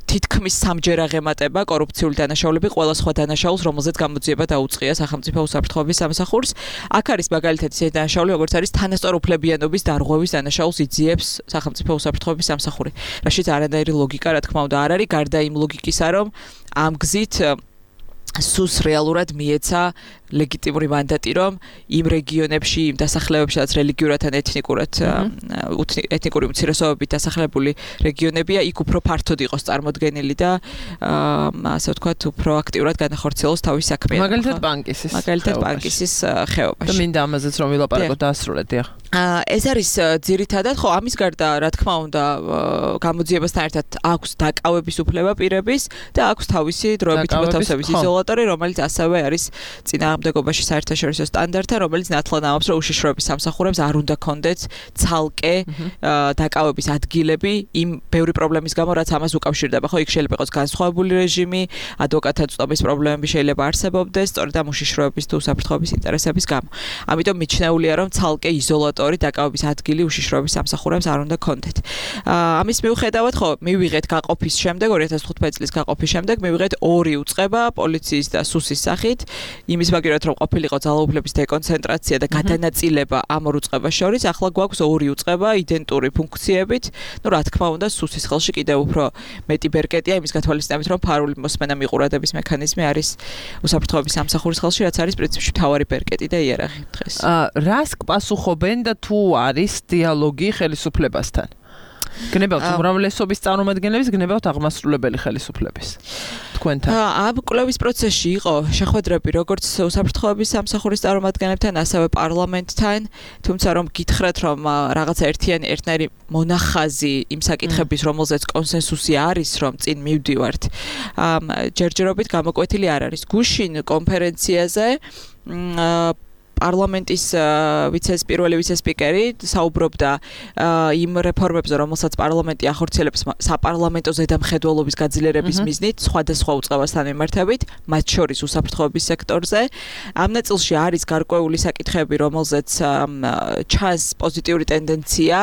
თითქმის სამჯერ აღემატება კორუფციული დანაშაულები ყველა სხვა დანაშაულს, რომელზეც გამოძიება დაუწყია სახელმწიფო უსაფრთხოების სამსახურს. აქ არის მაგალითად ისეთი დანაშაული, როგორც არის თანასწორუფლებიანობის დარღვევის დანაშაულს იძიებს სახელმწიფო უსაფრთხოების სამსახური. რაშიც არანაირი ლოგიკა, რა თქმა უნდა, არ არის, გარდა იმ ლოგიკისა, რომ ამ გზით სუს რეალურად მიეცა ლეგიტიმური მანდატი, რომ იმ რეგიონებში, იმ დასახლებებში, სადაც რელიგიურად ან ეთნიკურად ეთნიკური უმცირესობებით დასახლებული რეგიონებია, იქ უფრო ფართოდ იყოს წარმოდგენილი და ასე ვთქვათ, უფრო აქტიურად განახორციელოს თავის საქმე. მაგალითად ბანკისის. მაგალითად ბანკისის ხეობაში. და მინდა ამაზეც რომ ვილაპარაკოთ დაასრულეთ, დიახ. ეს არის ძირითადად, ხო, ამის გარდა, რა თქმა უნდა, გამოძიებასთან ერთად აქვს დაკავების უფლება პირების და აქვს თავისი დროებითი მოთავსების იზოლატორი, რომელიც ასევე არის წინა წინააღმდეგობაში საერთაშორისო სტანდარტთან, რომელიც ნათლად ამბობს, რომ უშიშროების სამსახურებს არ უნდა კონდეთ ცალკე დაკავების ადგილები იმ ბევრი პრობლემის გამო, რაც ამას უკავშირდება. ხო, იქ შეიძლება იყოს განსხვავებული რეჟიმი, ადვოკატთა წვდომის პრობლემები შეიძლება არსებობდეს, სწორედ ამ უშიშროების თუ უსაფრთხოების ინტერესების გამო. ამიტომ მიჩნეულია, რომ ცალკე იზოლატორი დაკავების ადგილი უშიშროების სამსახურებს არ უნდა კონდეთ. ამის მიუხედავად, ხო, მივიღეთ გაყოფის შემდეგ, ორი ათას თხუთმეტი წლის გაყოფის შემდეგ, მივიღეთ ორი უწყება პოლიციის და სუსის სახით, იმის მაგერად რომ ყოფილიყო ძალაუფლების დეკონცენტრაცია და გადანაწილება ამ ორ უწყებას შორის, ახლა გვაქვს ორი უწყება იდენტური ფუნქციებით. ნუ რა თქმა უნდა, სუსის ხელში კიდევ უფრო მეტი ბერკეტია იმის გათვალისწინებით, რომ ფარული მოსმენა მიყურადების მექანიზმი არის უსაფრთხოების სამსახურის ხელში, რაც არის პრინციპში მთავარი ბერკეტი და იერარქია დღეს. რას პასუხობენ და თუ არის დიალოგი ხელისუფლებასთან? გნებავთ უმრავლესობის წარმომადგენლების, გნებავთ აღმასრულებელი ხელისუფლების. თქვენთან. ამ კვლევის პროცესში იყო შეხვედრები როგორც უსაფრთხოების სამსახურის წარმომადგენლებთან, ასევე პარლამენტთან, თუმცა რომ გითხრათ, რომ რაღაცა ერთიანი ერთნაირი მონახაზი იმ საკითხების, რომელზეც კონსენსუსი არის, რომ წინ მივდივართ, ჯერჯერობით გამოკვეთილი არ არის. გუშინ კონფერენციაზე პარლამენტის ვიცეს პირველი ვიცე-სპიკერი საუბრობდა იმ რეფორმებზე, რომელსაც პარლამენტი ახორციელებს საპარლამენტო ზედამხედველობის გაძლიერების მიზნით, სხვადასხვა უწყებასთან მიმართებით, მათ შორის უსაფრთხოების სექტორზე. ამ ნაწილში არის გარკვეული საკითხები, რომელზეც ჩანს პოზიტიური ტენდენცია.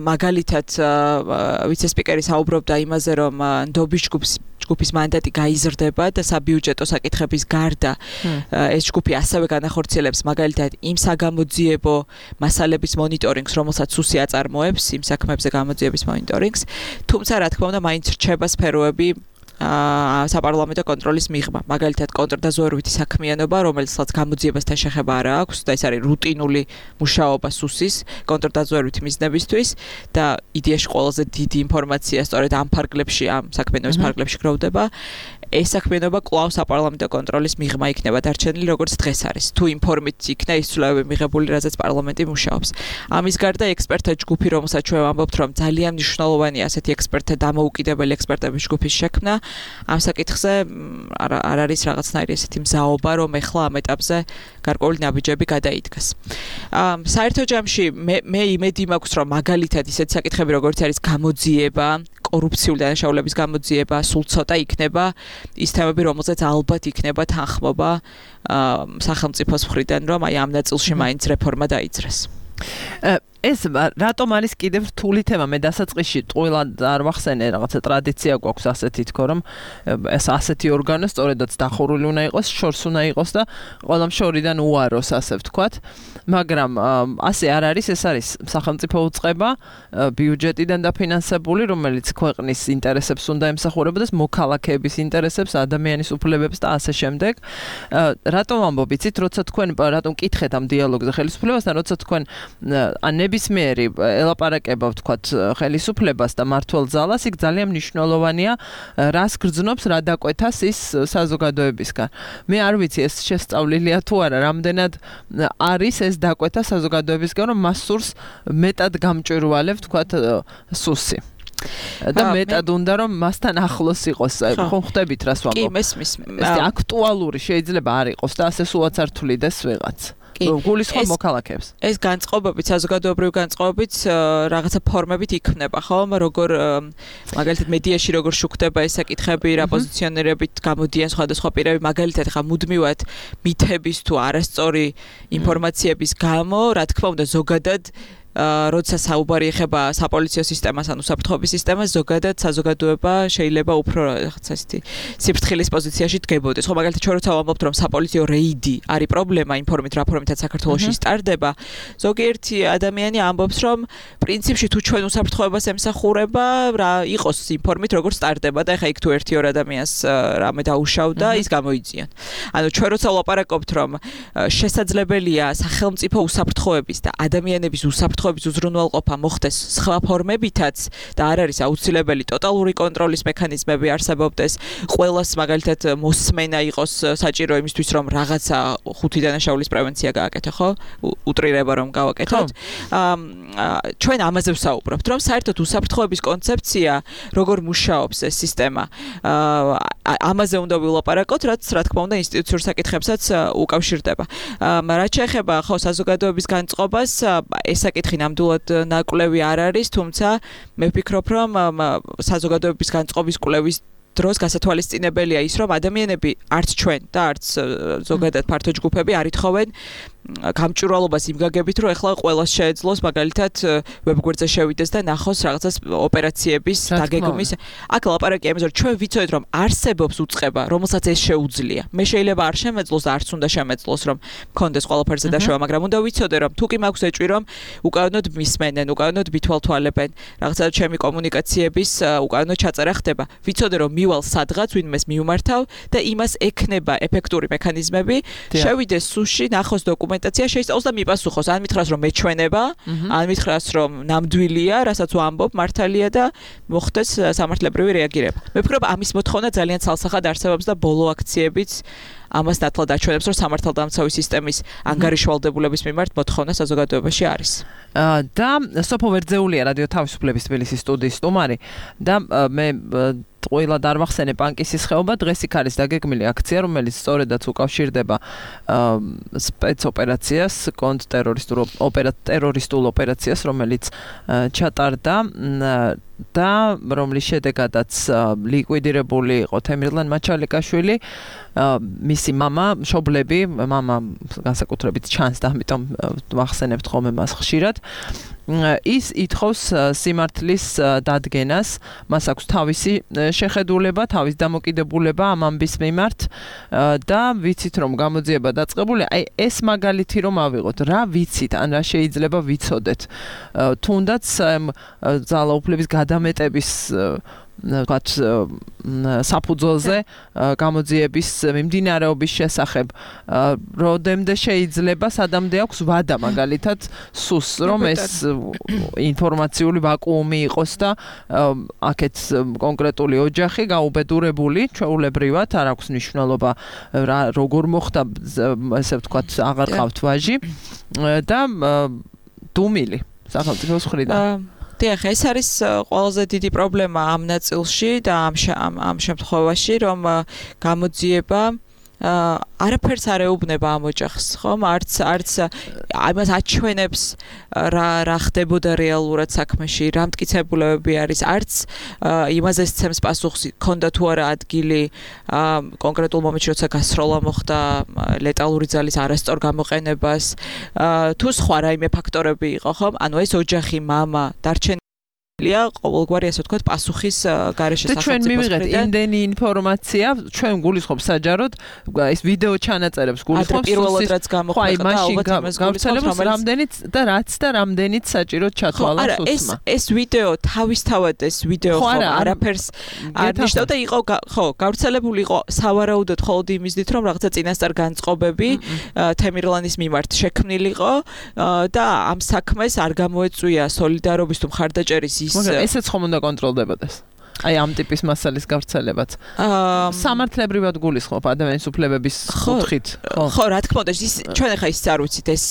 მაგალითად, ვიცე-სპიკერი საუბრობდა იმაზე, რომ ნდობის ჯგუფს ჯგუფის მანდატი გაიზრდება და საბიუჯეტო საკითხების გარდა ეს ჯგუფი ასევე განახორციელებს მაგალითად იმ საგამოძიებო მასალების მონიტორინგს, რომელსაც სუსი აწარმოებს, იმ საქმეებზე გამოძიების მონიტორინგს. თუმცა, რა თქმა უნდა, მაინც რჩება სფეროები საპარლამენტო კონტროლის მიღმა. მაგალითად, კონტრდაზვერვითი საქმიანობა, რომელსაც გამოძიებასთან შეხება არ აქვს და ეს არის რუტინული მუშაობა სუსის კონტრდაზვერვითი მიზნებისთვის და იდეაში ყველაზე დიდი ინფორმაცია სწორედ ამ ფარგლებში, ამ საქმიანობის ფარგლებში გროვდება. ეს საქმიანობა კვლავ საპარლამენტო კონტროლის მიღმა იქნება დარჩენილი, როგორც დღეს არის. თუ იმ ფორმით იქნა ის ცვლილებები მიღებული, რაზეც პარლამენტი მუშაობს. ამის გარდა ექსპერტთა ჯგუფი, რომელსაც ჩვენ ვამბობთ, რომ ძალიან მნიშვნელოვანია ასეთი ექსპერტთა დამოუკიდებელი ექსპერტების ჯგუფის შექმნა, ამ საკითხზე არ არის რაღაცნაირი ესეთი მზაობა, რომ ეხლა ამ ეტაპზე გარკვეული ნაბიჯები გადაიდგას. საერთო ჯამში მე მე იმედი მაქვს, რომ მაგალითად ისეთი საკითხები, როგორც არის გამოძიება, კორუფციული დანაშაულების გამოძიება, სულ ცოტა იქნება ის თემები, რომელზეც ალბათ იქნება თანხმობა სახელმწიფოს მხრიდან, რომ აი ამ ნაწილში მაინც რეფორმა დაიძრას. ეს რატომ არის კიდევ რთული თემა? მე დასაწყისში ტყუილად არ ვახსენე, რაღაცა ტრადიცია გვაქვს ასეთი თქო, რომ ეს ასეთი ორგანო სწორედაც დახურული უნდა იყოს, შორს უნდა იყოს და ყველამ შორიდან უაროს, ასე ვთქვათ. მაგრამ ასე არ არის, ეს არის სახელმწიფო უწყება, ბიუჯეტიდან დაფინანსებული, რომელიც ქვეყნის ინტერესებს უნდა ემსახურებოდეს, მოქალაქეების ინტერესებს, ადამიანის უფლებებს და ასე შემდეგ. რატომ ამბობ, იცით, როცა თქვენ რატომ კითხეთ ამ დიალოგზე ხელისუფლებასთან, როცა თქვენ ან ნებისმიერი ელაპარაკება ვთქვათ ხელისუფლებას და მმართველ ძალას, იქ ძალიან მნიშვნელოვანია რას გრძნობს, რა დაკვეთას ის საზოგადოებისგან. მე არ ვიცი ეს შესწავლილია თუ არა, რამდენად არის ეს დაკვეთა საზოგადოებისგან, რომ მას სურს მეტად გამჭვირვალე ვთქვათ სუსი. და მეტად უნდა რომ მასთან ახლოს იყოს. ხომ ხვდებით რას ვამბობ? კი, მესმის. ეს აქტუალური შეიძლება არ იყოს და ასე სულაც არ თვლიდეს ვიღაც. გულისხმობ მოქალაქეებს. ეს განწყობებით, საზოგადოებრივი განწყობებით რაღაცა ფორმებით იქმნება, ხო? როგორ მაგალითად მედიაში როგორ შუქდება ეს საკითხები, რა პოზიციონირებით გამოდიან სხვადასხვა პირები, მაგალითად ხა მუდმივად მითების თუ არასწორი ინფორმაციების გამო, რა თქმა უნდა, ზოგადად როცა საუბარი ეხება საპოლიციო სისტემას ან უსაფრთხოების სისტემას, ზოგადად საზოგადოება შეიძლება უფრო რაღაცა ისეთი სიფრთხილის პოზიციაში დგებოდეს. ხო, მაგალითად, ჩვენ როცა ვამბობთ, რომ საპოლიციო რეიდი არის პრობლემა იმ ფორმით, რა ფორმითაც საქართველოში სტარდება, ზოგიერთი ადამიანი ამბობს, რომ პრინციპში თუ ჩვენ უსაფრთხოებას ემსახურება, რა იყოს იმ ფორმით, როგორ სტარდება და ეხა იქ თუ ერთი ორ ადამიანს რამე დაუშავდა, ის გამოიძიონ. ანუ ჩვენ როცა ვლაპარაკობთ, რომ შესაძლებელია სახელმწიფო უსაფრთხოების და ადამიანების უსაფრთხოების უსაფრთხოების უზრუნველყოფა მოხდეს სხვა ფორმებითაც და არ არის აუცილებელი ტოტალური კონტროლის მექანიზმები არსებობდეს, ყველას მაგალითად მოსმენა იყოს საჭირო იმისთვის რომ რაღაცა ხუთი დანაშაულის პრევენცია გააკეთო, ხო? უტრირება რომ გავაკეთოთ. ჩვენ ამაზე ვსაუბრობთ, რომ საერთოდ უსაფრთხოების კონცეფცია როგორ მუშაობს ეს სისტემა. ამაზე უნდა ვილაპარაკოთ, რაც რა თქმა უნდა ინსტიტუციურ საკითხებსაც უკავშირდება. რაც შეეხება ხო საზოგადოების განწყობას, ეს საკითხი ნამდვილად ნაკვლევი არ არის, თუმცა მე ვფიქრობ, რომ საზოგადოების განწყობის კვლევის დროს გასათვალისწინებელია ის, რომ ადამიანები არც ჩვენ და არც ზოგადად ფართო ჯგუფები არ ითხოვენ გამჭვირვალობას იმ გაგებით, რომ ეხლა ყველას შეეძლოს მაგალითად ვებგვერდზე შევიდეს და ნახოს რაღაცას ოპერაციების დაგეგმის. აქ ლაპარაკია იმაზე, რომ ჩვენ ვიცოდეთ, რომ არსებობს უწყება, რომელსაც ეს შეუძლია. მე შეიძლება არ შემეძლოს და არც უნდა შემეძლოს, რომ მქონდეს ყველაფერზე დაშვა, მაგრამ უნდა ვიცოდე, რომ თუ კი მაქვს ეჭვი, რომ უკანონოდ მისმენენ, უკანონოდ მითვალთვალებენ, რაღაცა ჩემი კომუნიკაციების უკანონოდ ჩაწერა ხდება. ვიცოდე, რომ მივალ სადღაც, ვინმეს მიუმართავ და იმას ექნება ეფექტური მექანიზმები, შევიდეს სუში, ნახოს დოკუმენტაცია შეისწავლოს და მიპასუხოს. ან მითხრას რომ მეჩვენება, ან მითხრას რომ ნამდვილია, რასაც ვამბობ, მართალია და მოხდეს სამართლებრივი რეაგირება. მე ვფიქრობ, ამის მოთხოვნა ძალიან ცალსახად არსებობს და ბოლო აქციებიც ამას დათლა დაჩვენებს, რომ სამართალდამცავი სისტემის ანგარიშვალდებულების მიმართ მოთხოვნა საზოგადოებაში არის. და სოფო ვერძეულია რადიო თავისუფლების თბილისის სტუდიის სტუმარი და მე ყველა დარვახსენე პანკისის ხეობა დღეს იქ არის დაგეგმილი აქცია, რომელიც სწორედაც უკავშირდება სპეცოპერაციას, კონტრტერორისტულ ტერორისტულ ოპერაციას, რომელიც ჩატარდა და რომლის შედეგადაც ლიკვიდირებული იყო თემირლან მაჩალიკაშვილი, მისი მამა, მშობლები, მამა განსაკუთრებით ჩანს და ამიტომ ვახსენებთ ხოლმე მას ხშირად. ის ითხოვს სიმართლის დადგენას, მას აქვს თავისი შეხედულება, თავის დამოკიდებულება ამ ამბის მიმართ და ვიცით რომ გამოძიება დაწყებული, აი ეს მაგალითი რომ ავიღოთ, რა ვიცით, ან რა შეიძლება ვიცოდეთ. თუნდაც ძალაუფლების გადამეტების ვთქვათ საფუძველზე გამოძიების მიმდინარეობის შესახებ როდემდე შეიძლება სადამდე აქვს ვადა მაგალითად სუს რომ ეს ინფორმაციული ვაკუუმი იყოს და აქეთ კონკრეტული ოჯახი გაუბედურებული ჩვეულებრივად არ აქვს მნიშვნელობა როგორ მოხდა ესე ვთქვათ აღარ ყავთ ვაჟი და დუმილი სახელმწიფოს მხრიდან დიახ, ეს არის ყველაზე დიდი პრობლემა ამ ნაწილში და ამ ამ შემთხვევაში, რომ გამოძიება არაფერს არ ეუბნება ამ ოჯახს, ხომ? არც არც ამას აჩვენებს რა რა ხდებოდა რეალურად საქმეში, რა მტკიცებულებები არის, არც იმაზე სცემს პასუხს, ქონდა თუ არა ადგილი კონკრეტულ მომენტში, როცა გასროლა მოხდა ლეტალური ძალის არასწორ გამოყენებას, თუ სხვა რაიმე ფაქტორები იყო, ხომ? ანუ ეს ოჯახი, მამა, დარჩენილი ყოველგვარი ასე ვთქვათ პასუხის გარეშე სახელმწიფოს ჩვენ მივიღეთ იმდენი ინფორმაცია, ჩვენ გულისხმობ საჯაროდ ეს ვიდეო ჩანაწერებს გულისხმობ პირველად რაც გამოხდა ალბათ იმას გულისხმობ რამდენიც და რაც და რამდენიც საჭიროდ ჩათვალა სუსმა. ეს ვიდეო თავისთავად ეს ვიდეო ხო არაფერს არ ნიშნავდა იყო ხო გავრცელებული იყო სავარაუდოდ მხოლოდ იმისდით რომ რაღაცა წინასწარ განწყობები თემირლანის მიმართ შექმნილიყო და ამ საქმეს არ გამოეწვია სოლიდარობის თუ მხარდაჭერის მაგრამ ესეც ხომ უნდა კონტროლდებოდეს. აი ამ ტიპის მასალის გავრცელებაც. სამართლებრივად გულისხმობ ადამიანის უფლებების კუთხით. ხო, რა თქმა უნდა, ის ჩვენ ახლა ის არ ვიცით, ეს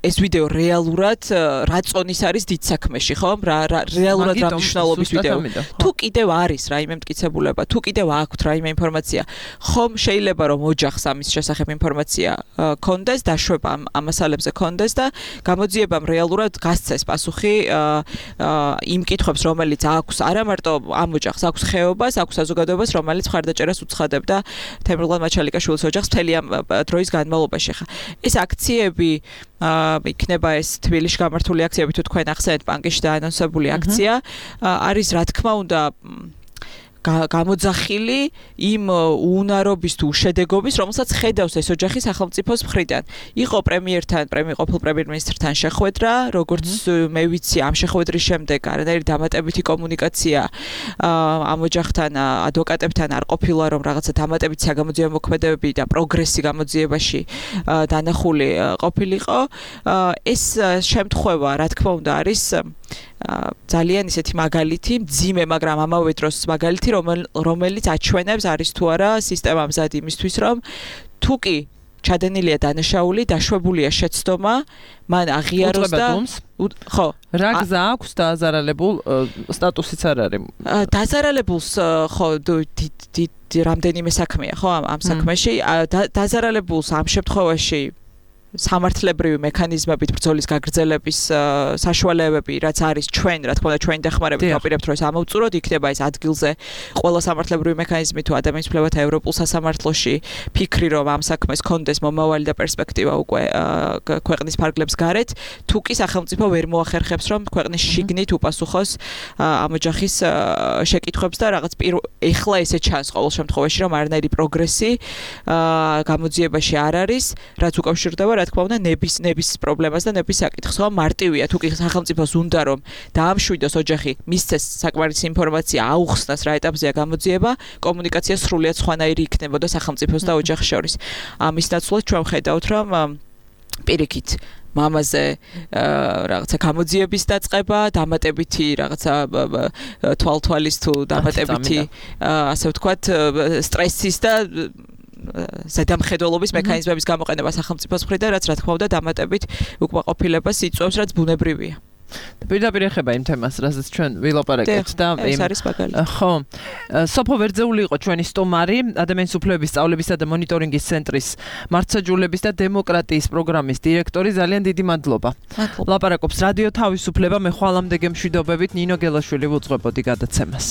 ეს ვიდეო რეალურად რა წონის არის დიდ საქმეში, ხო? რა რეალურად რა მნიშვნელობის ვიდეო. თუ კიდევ არის რაიმე მტკიცებულება, თუ კიდევ აქვთ რაიმე ინფორმაცია, ხომ შეიძლება რომ ოჯახს ამის შესახებ ინფორმაცია კონდეს, დაშვება ამ მასალებზე კონდეს და გამოძიებამ რეალურად გასცეს პასუხი იმ კითხვებს, რომელიც აქვს არა მარტო ამ ოჯახს აქვს ხეობას, აქვს საზოგადოებას, რომელიც მხარდაჭერას უცხადებდა თემირლან მაჩალიკაშვილის ოჯახს მთელი ამ დროის განმავლობაში. ხა ეს აქციები იქნება ეს თბილისში გამართული აქციები თუ თქვენ ახსენეთ პანკისში დაანონსებული აქცია არის რა თქმა უნდა გამოძახილი იმ უუნარობის თუ უშედეგობის, რომელსაც ხედავს ეს ოჯახი სახელმწიფოს მხრიდან. იყო პრემიერთან, ყოფილ პრემიერ-მინისტრთან შეხვედრა, როგორც მე ვიცი, ამ შეხვედრის შემდეგ არანაირი დამატებითი კომუნიკაცია ამ ოჯახთან, ადვოკატებთან არ ყოფილა, რომ რაღაცა დამატებითი საგამოძიებო მოქმედებები და პროგრესი გამოძიებაში დანახული ყოფილიყო. ეს შემთხვევა, რა თქმა უნდა, არის ძალიან ისეთი მაგალითი, მძიმე, მაგრამ ამავე დროს მაგალითი, რომელიც აჩვენებს არის თუ არა სისტემა მზად იმისთვის, რომ თუ კი ჩადენილია დანაშაული, დაშვებულია შეცდომა, მან აღიაროს და ხო, რა გზა აქვს დააზარალებულ სტატუსიც არ არის. დაზარალებულს ხო რამდენიმე საქმეა, ხო, ამ საქმეში დაზარალებულს ამ შემთხვევაში სამართლებრივი მექანიზმებით ბრძოლის გაგრძელების საშუალებები, რაც არის ჩვენ, რა თქმა უნდა, ჩვენი დახმარებით ვაპირებთ, რომ ეს ამოვწუროთ, იქნება ეს ადგილზე ყველა სამართლებრივი მექანიზმი თუ ადამიანის უფლებათა ევროპულ სასამართლოში ფიქრი, რომ ამ საქმეს კონდეს მომავალი და პერსპექტივა უკვე ქვეყნის ფარგლებს გარეთ, თუ კი სახელმწიფო ვერ მოახერხებს, რომ ქვეყნის შიგნით უპასუხოს ამ ოჯახის შეკითხვებს და რაღაც ეხლა ესე ჩანს ყოველ შემთხვევაში, რომ არანაირი პროგრესი გამოძიებაში არ არის, რაც უკავშირდება რა თქმა უნდა ნების ნების პრობლემას და ნების საკითხს. ხო, მარტივია თუ კი სახელმწიფოს უნდა რომ დაამშვიდოს ოჯახი, მისცეს საკმარისი ინფორმაცია, აუხსნას რა ეტაპზეა გამოძიება, კომუნიკაცია სრულიად სხვანაირი იქნებოდა სახელმწიფოს და ოჯახის შორის. ამის ნაცვლად ჩვენ ხედავთ რომ პირიქით მამაზე რაღაცა გამოძიების დაწყება, დამატებითი რაღაცა თვალთვალის თუ დამატებითი ასე ვთქვათ სტრესის და ზედამხედველობის მექანიზმების გამოყენება სახელმწიფოს მხრიდან, რაც რა თქმა უნდა დამატებით უკმაყოფილებას იწვევს, რაც ბუნებრივია. პირდაპირ ეხება იმ თემას, რასაც ჩვენ ვილაპარაკეთ და ეს არის მაგალითი. ხო. სოფო ვერძეული იყო ჩვენი სტუმარი, ადამიანის უფლებების სწავლებისა და მონიტორინგის ცენტრის მართლმსაჯულების და დემოკრატიის პროგრამის დირექტორი. ძალიან დიდი მადლობა. ლაპარაკობს რადიო თავისუფლება, მე ხვალამდე გემშვიდობებით ნინო გელაშვილი ვუძღვებოდი გადაცემას.